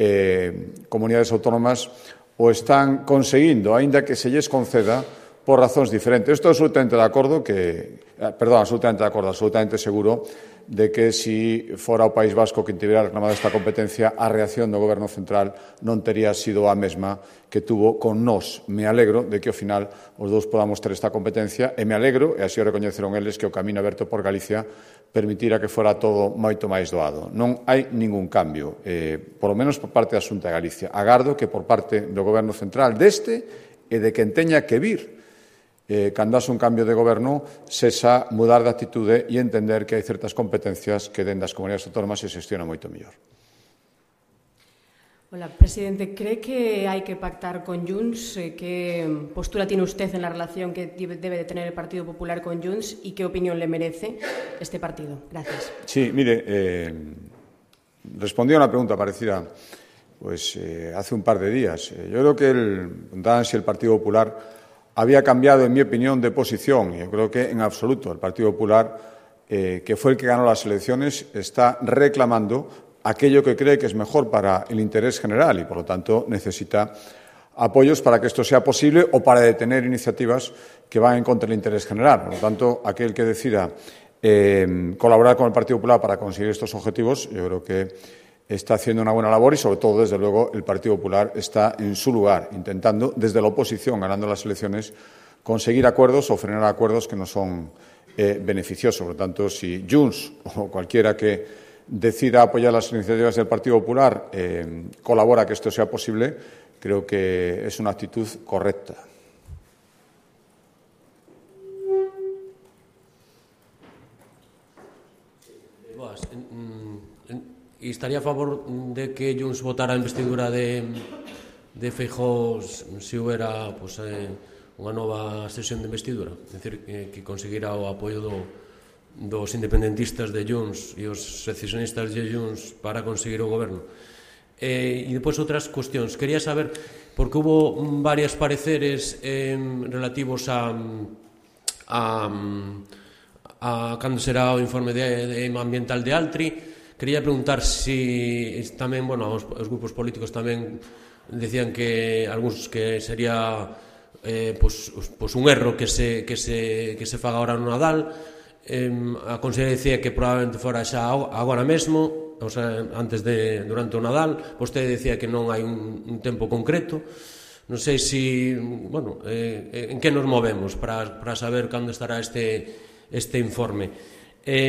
eh, comunidades autónomas o están conseguindo, aínda que se lles conceda por razóns diferentes. Estou absolutamente de acordo que, perdón, absolutamente de acordo, absolutamente seguro de que si fora o País Vasco que tivera reclamado esta competencia, a reacción do Goberno Central non tería sido a mesma que tuvo con nós. Me alegro de que ao final os dous podamos ter esta competencia e me alegro, e así o recoñeceron eles, que o camino aberto por Galicia permitira que fora todo moito máis doado. Non hai ningún cambio, eh, por lo menos por parte da Xunta de Galicia. Agardo que por parte do Goberno Central deste e de quen teña que vir Eh, cando haxe un cambio de goberno, sexa mudar de actitude e entender que hai certas competencias que dentro das comunidades autónomas se xestiona moito mellor. Hola, presidente. ¿Cree que hay que pactar con Junts? ¿Qué postura tiene usted en la relación que debe de tener el Partido Popular con Junts y qué opinión le merece este partido? Gracias. Sí, mire, eh, respondí a una pregunta parecida pues, eh, hace un par de días. Eh, yo creo que el, preguntaban si el Partido Popular había cambiado, en mi opinión, de posición. Yo creo que, en absoluto, el Partido Popular, eh, que fue el que ganó las elecciones, está reclamando aquello que cree que es mejor para el interés general y, por lo tanto, necesita apoyos para que esto sea posible o para detener iniciativas que van en contra del interés general. Por lo tanto, aquel que decida eh, colaborar con el Partido Popular para conseguir estos objetivos, yo creo que está haciendo una buena labor y, sobre todo, desde luego, el Partido Popular está en su lugar, intentando, desde la oposición, ganando las elecciones, conseguir acuerdos o frenar acuerdos que no son eh, beneficiosos. Por lo tanto, si Junts o cualquiera que decida apoyar las iniciativas del Partido Popular eh, colabora a que esto sea posible, creo que es una actitud correcta. E estaría a favor de que Junts votara a investidura de, de Feijóo se houbera pues, eh, unha nova sesión de investidura? É dicir, que, que conseguira o apoio do, dos independentistas de Junts e os secesionistas de Junts para conseguir o goberno. Eh, e depois outras cuestións. Quería saber, porque hubo varios pareceres eh, relativos a, a, a cando será o informe de, de ambiental de Altri. Quería preguntar si tamén, bueno, os, os grupos políticos tamén decían que algúns que sería eh, pues, pues un erro que se, que se, que se faga agora no Nadal. Eh, a conselleira decía que probablemente fora xa agora mesmo, o sea, antes de, durante o Nadal. Vostede decía que non hai un, un tempo concreto. Non sei si, bueno, eh, en que nos movemos para, para saber cando estará este, este informe. Eh,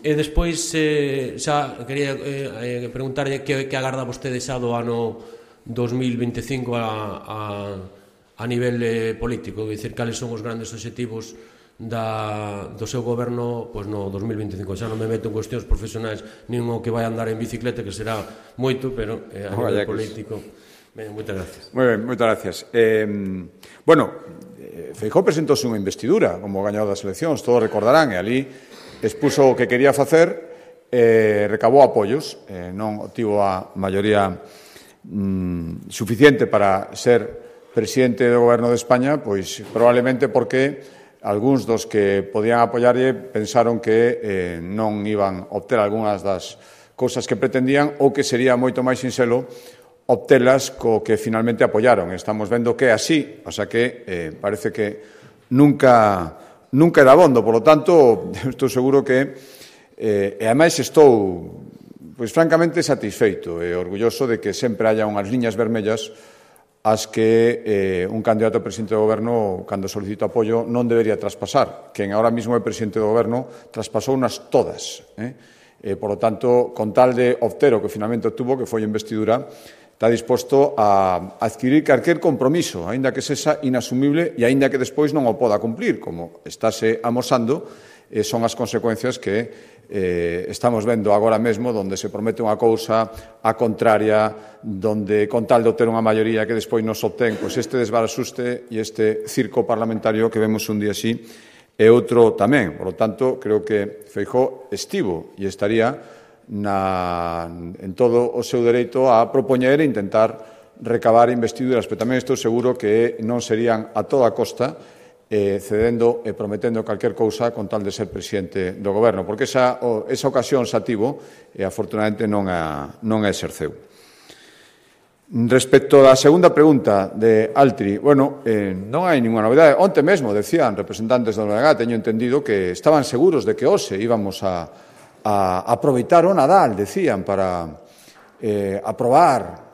e despois eh, xa quería eh, preguntarlle que, que agarda vostede xa do ano dos mil vinte e cinco a, a, a a nivel eh, político, dicir, cales son os grandes obxectivos da, do seu goberno pois no dos mil veinticinco. Xa non me meto en cuestións profesionais nin o que vai andar en bicicleta, que será moito, pero eh, a nivel político. Ben, moitas gracias. Moi ben, moitas gracias. Eh, bueno, Feijóo presentouse unha investidura como gañador das eleccións, todos recordarán, e ali expuso o que quería facer, eh, recabou apoios, eh, non obtivo a maioría mm, suficiente para ser presidente do goberno de España, pois probablemente porque algúns dos que podían apoiarlle pensaron que eh, non iban a obter algunhas das cousas que pretendían ou que sería moito máis sinxelo obtelas co que finalmente apoiaron. Estamos vendo que é así, o sea que eh, parece que nunca, nunca é dabondo. Por lo tanto, estou seguro que, eh, e ademais estou, pois francamente, satisfeito e orgulloso de que sempre haya unhas liñas vermellas as que eh, un candidato a presidente do goberno, cando solicita apoio, non debería traspasar. Quen agora mesmo é presidente do goberno traspasou unas todas. Eh? Eh, por lo tanto, con tal de obter o que finalmente obtuvo, que foi a investidura, está disposto a adquirir calquer compromiso, aínda que sexa inasumible e aínda que despois non o poda cumplir, como estáse amosando, eh, son as consecuencias que eh, estamos vendo agora mesmo, donde se promete unha cousa a contraria, donde con tal de obter unha maioría que despois nos obtén, pois este desbarasuste e este circo parlamentario que vemos un día así e outro tamén. Por lo tanto, creo que Feijóo estivo e estaría na, en todo o seu dereito a propoñer e intentar recabar investiduras, pero tamén estou seguro que non serían a toda costa eh, cedendo e prometendo calquer cousa con tal de ser presidente do goberno, porque esa, o, esa ocasión xa tivo e afortunadamente non a, non a exerceu. Respecto á segunda pregunta de Altri, bueno, eh, non hai ninguna novidade. Onte mesmo decían representantes da O N G, teño entendido que estaban seguros de que hoxe íbamos a, a aproveitar o Nadal, decían, para eh, aprobar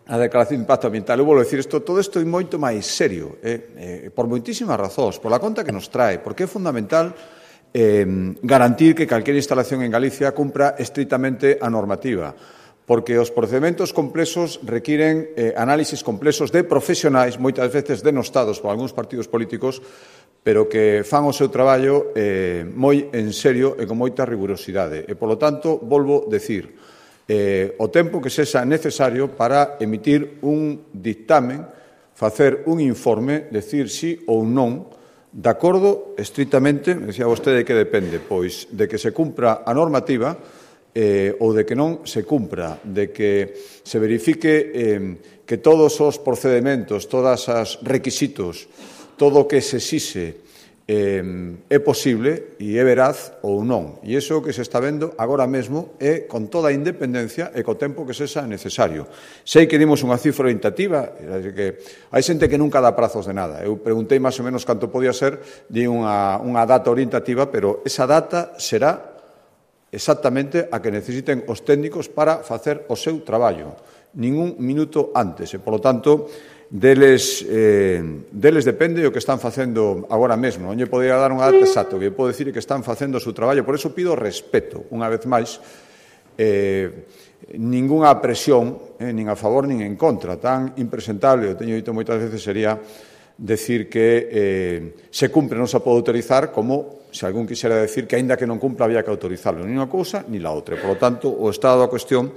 a declaración de impacto ambiental. Eu vou dicir isto, todo isto é moito máis serio, eh, eh, por moitísimas razóns, por la conta que nos trae, porque é fundamental eh, garantir que calquer instalación en Galicia cumpra estrictamente a normativa, porque os procedementos complexos requiren eh, análisis complexos de profesionais, moitas veces denostados por algúns partidos políticos, pero que fan o seu traballo eh, moi en serio e con moita rigurosidade. E, polo tanto, volvo decir, eh, o tempo que sexa necesario para emitir un dictamen, facer un informe, decir sí ou non, de acordo estrictamente, decía vostede que depende, pois de que se cumpra a normativa, eh, ou de que non se cumpra, de que se verifique eh, que todos os procedementos, todos os requisitos, todo o que se exixe eh, é posible e é veraz ou non. E iso que se está vendo agora mesmo é con toda a independencia e co tempo que sexa necesario. Sei que dimos unha cifra orientativa, que hai xente que nunca dá prazos de nada. Eu preguntei máis ou menos canto podía ser, di unha, unha data orientativa, pero esa data será exactamente a que necesiten os técnicos para facer o seu traballo. Ningún minuto antes. E, polo tanto, deles, eh, deles depende o que están facendo agora mesmo. Non lle podría dar unha data exacta. O que podo dicir é que están facendo o seu traballo. Por eso pido respeto, unha vez máis, eh, ningunha presión, eh, nin a favor nin en contra. Tan impresentable, eu teño dito moitas veces, sería decir que eh, se cumpre non se pode autorizar, como se algún quixera decir que, aínda que non cumpla, había que autorizarlo. Ni unha cousa, ni la outra. Por lo tanto, o estado da cuestión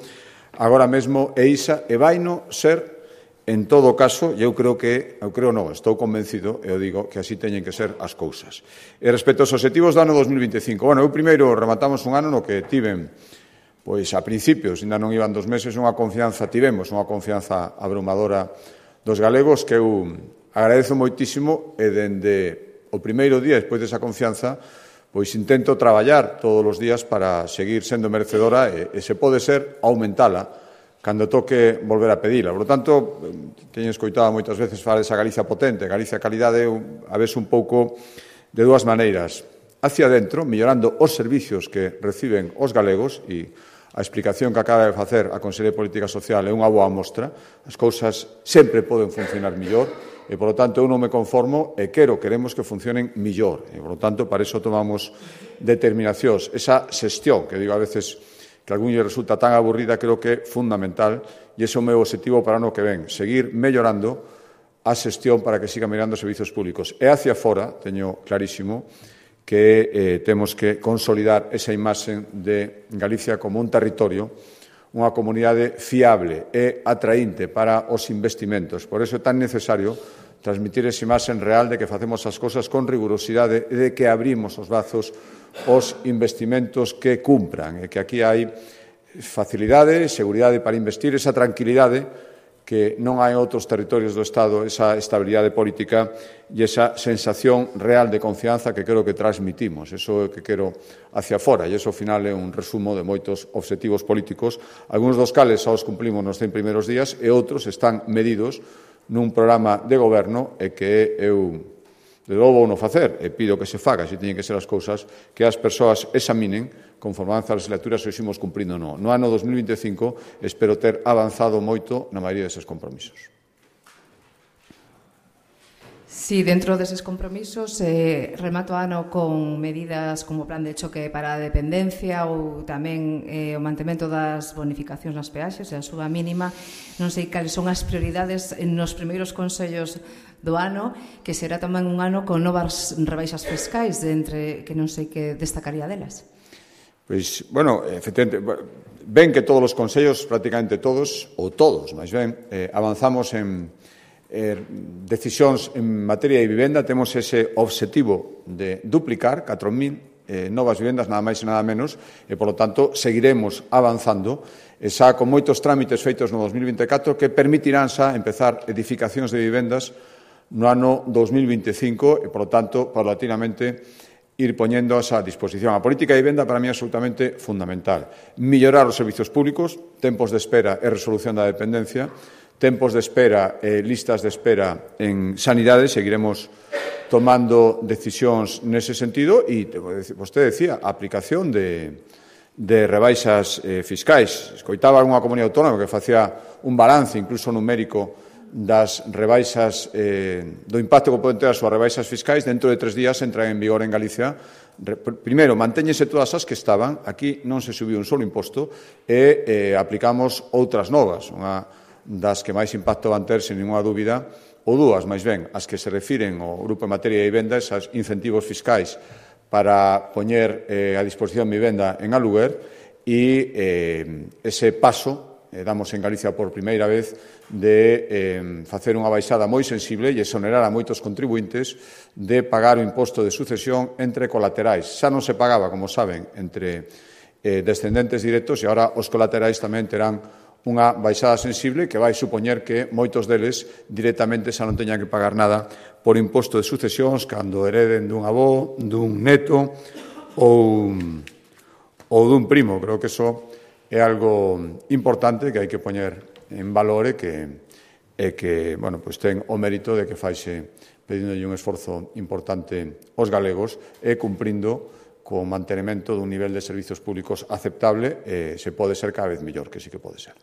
agora mesmo é isa e vaino ser, en todo caso, e eu creo que, eu creo non, estou convencido, e eu digo que así teñen que ser as cousas. E respecto aos obxectivos do ano dos mil veinticinco, bueno, eu primeiro rematamos un ano no que tiven, pois a principios, ainda non iban dos meses, unha confianza, tivemos unha confianza abrumadora dos galegos que eu agradezo moitísimo e dende o primeiro día, despois desa confianza, pois intento traballar todos os días para seguir sendo merecedora e, e se pode ser, aumentala cando toque volver a pedila. Por lo tanto, teño escoitado moitas veces falar desa Galicia potente, Galicia calidade, a veces un pouco de dúas maneiras. Hacia dentro, mellorando os servicios que reciben os galegos, e a explicación que acaba de facer a Conselleira de Política Social é unha boa mostra. As cousas sempre poden funcionar mellor, e, por lo tanto, eu non me conformo e quero, queremos que funcionen millor. E, por lo tanto, para iso tomamos determinacións. Esa xestión, que digo a veces que a algún lle resulta tan aburrida, creo que é fundamental, e ese é o meu objetivo para o ano que ven, seguir mellorando a xestión para que siga mirando os servizos públicos. E hacia fora, teño clarísimo, que eh, temos que consolidar esa imaxe de Galicia como un territorio, unha comunidade fiable e atraínte para os investimentos. Por iso é tan necesario transmitir esa imaxe real de que facemos as cousas con rigurosidade e de que abrimos os brazos aos investimentos que cumpran e que aquí hai facilidade, seguridade para investir, esa tranquilidade que non hai outros territorios do Estado, esa estabilidade política e esa sensación real de confianza que creo que transmitimos. Eso é o que quero hacia fora, e iso, ao final, é un resumo de moitos obxectivos políticos, algúns dos cales xa os cumplimos nos cen primeiros días e outros están medidos nun programa de goberno e que eu, de logo, vou non facer, e pido que se faga, se teñen que ser as cousas, que as persoas examinen conforme avanza a legislatura se o ximos cumprindo ou non. No ano dos mil vinte e cinco espero ter avanzado moito na maioría deses compromisos. Sí, dentro deses compromisos, eh, remato ano con medidas como o plan de choque para a dependencia ou tamén eh, o mantemento das bonificacións nas peaxes e a suba mínima. Non sei cales son as prioridades nos primeiros consellos do ano, que será tamén un ano con novas rebaixas fiscais, de entre que non sei que destacaría delas. Pois, bueno, efectivamente, ven que todos os consellos, prácticamente todos, ou todos, máis ben, eh, avanzamos en eh, decisións en materia de vivenda, temos ese obxectivo de duplicar catro mil eh, novas vivendas, nada máis e nada menos, e, por lo tanto, seguiremos avanzando, e xa con moitos trámites feitos no dos mil vinte e catro que permitirán xa empezar edificacións de vivendas no ano dos mil vinte e cinco e, por lo tanto, paulatinamente, ir poñendo a disposición. A política de vivenda para mí é absolutamente fundamental. Millorar os servizos públicos, tempos de espera e resolución da dependencia, tempos de espera e listas de espera en sanidade, seguiremos tomando decisións nese sentido e, vostede decía, a aplicación de, de rebaixas eh, fiscais. Escoitaba algunha comunidade autónoma que facía un balance, incluso numérico, das rebaixas, eh, do impacto que poden ter as súas rebaixas fiscais. Dentro de tres días entran en vigor en Galicia. Primeiro, mantéñense todas as que estaban, aquí non se subiu un solo imposto, e eh, aplicamos outras novas, unha das que máis impacto van ter, sen ninguna dúbida, ou dúas, máis ben, as que se refiren ao grupo en materia de vivenda, esas incentivos fiscais para poñer eh, a disposición de vivenda en aluguer, e eh, ese paso eh, damos en Galicia por primeira vez de eh, facer unha baixada moi sensible e exonerar a moitos contribuintes de pagar o imposto de sucesión entre colaterais. Xa non se pagaba, como saben, entre eh, descendentes directos, e agora os colaterais tamén terán unha baixada sensible que vai supoñer que moitos deles directamente xa non teñan que pagar nada por imposto de sucesións cando hereden dun avó, dun neto ou, ou dun primo. Creo que iso é algo importante que hai que poñer en valor e que, e que bueno, pues ten o mérito de que faixe pedindolle un esforzo importante aos galegos e cumprindo co mantenimento dun nivel de servizos públicos aceptable, e se pode ser cada vez mellor, que sí que pode ser.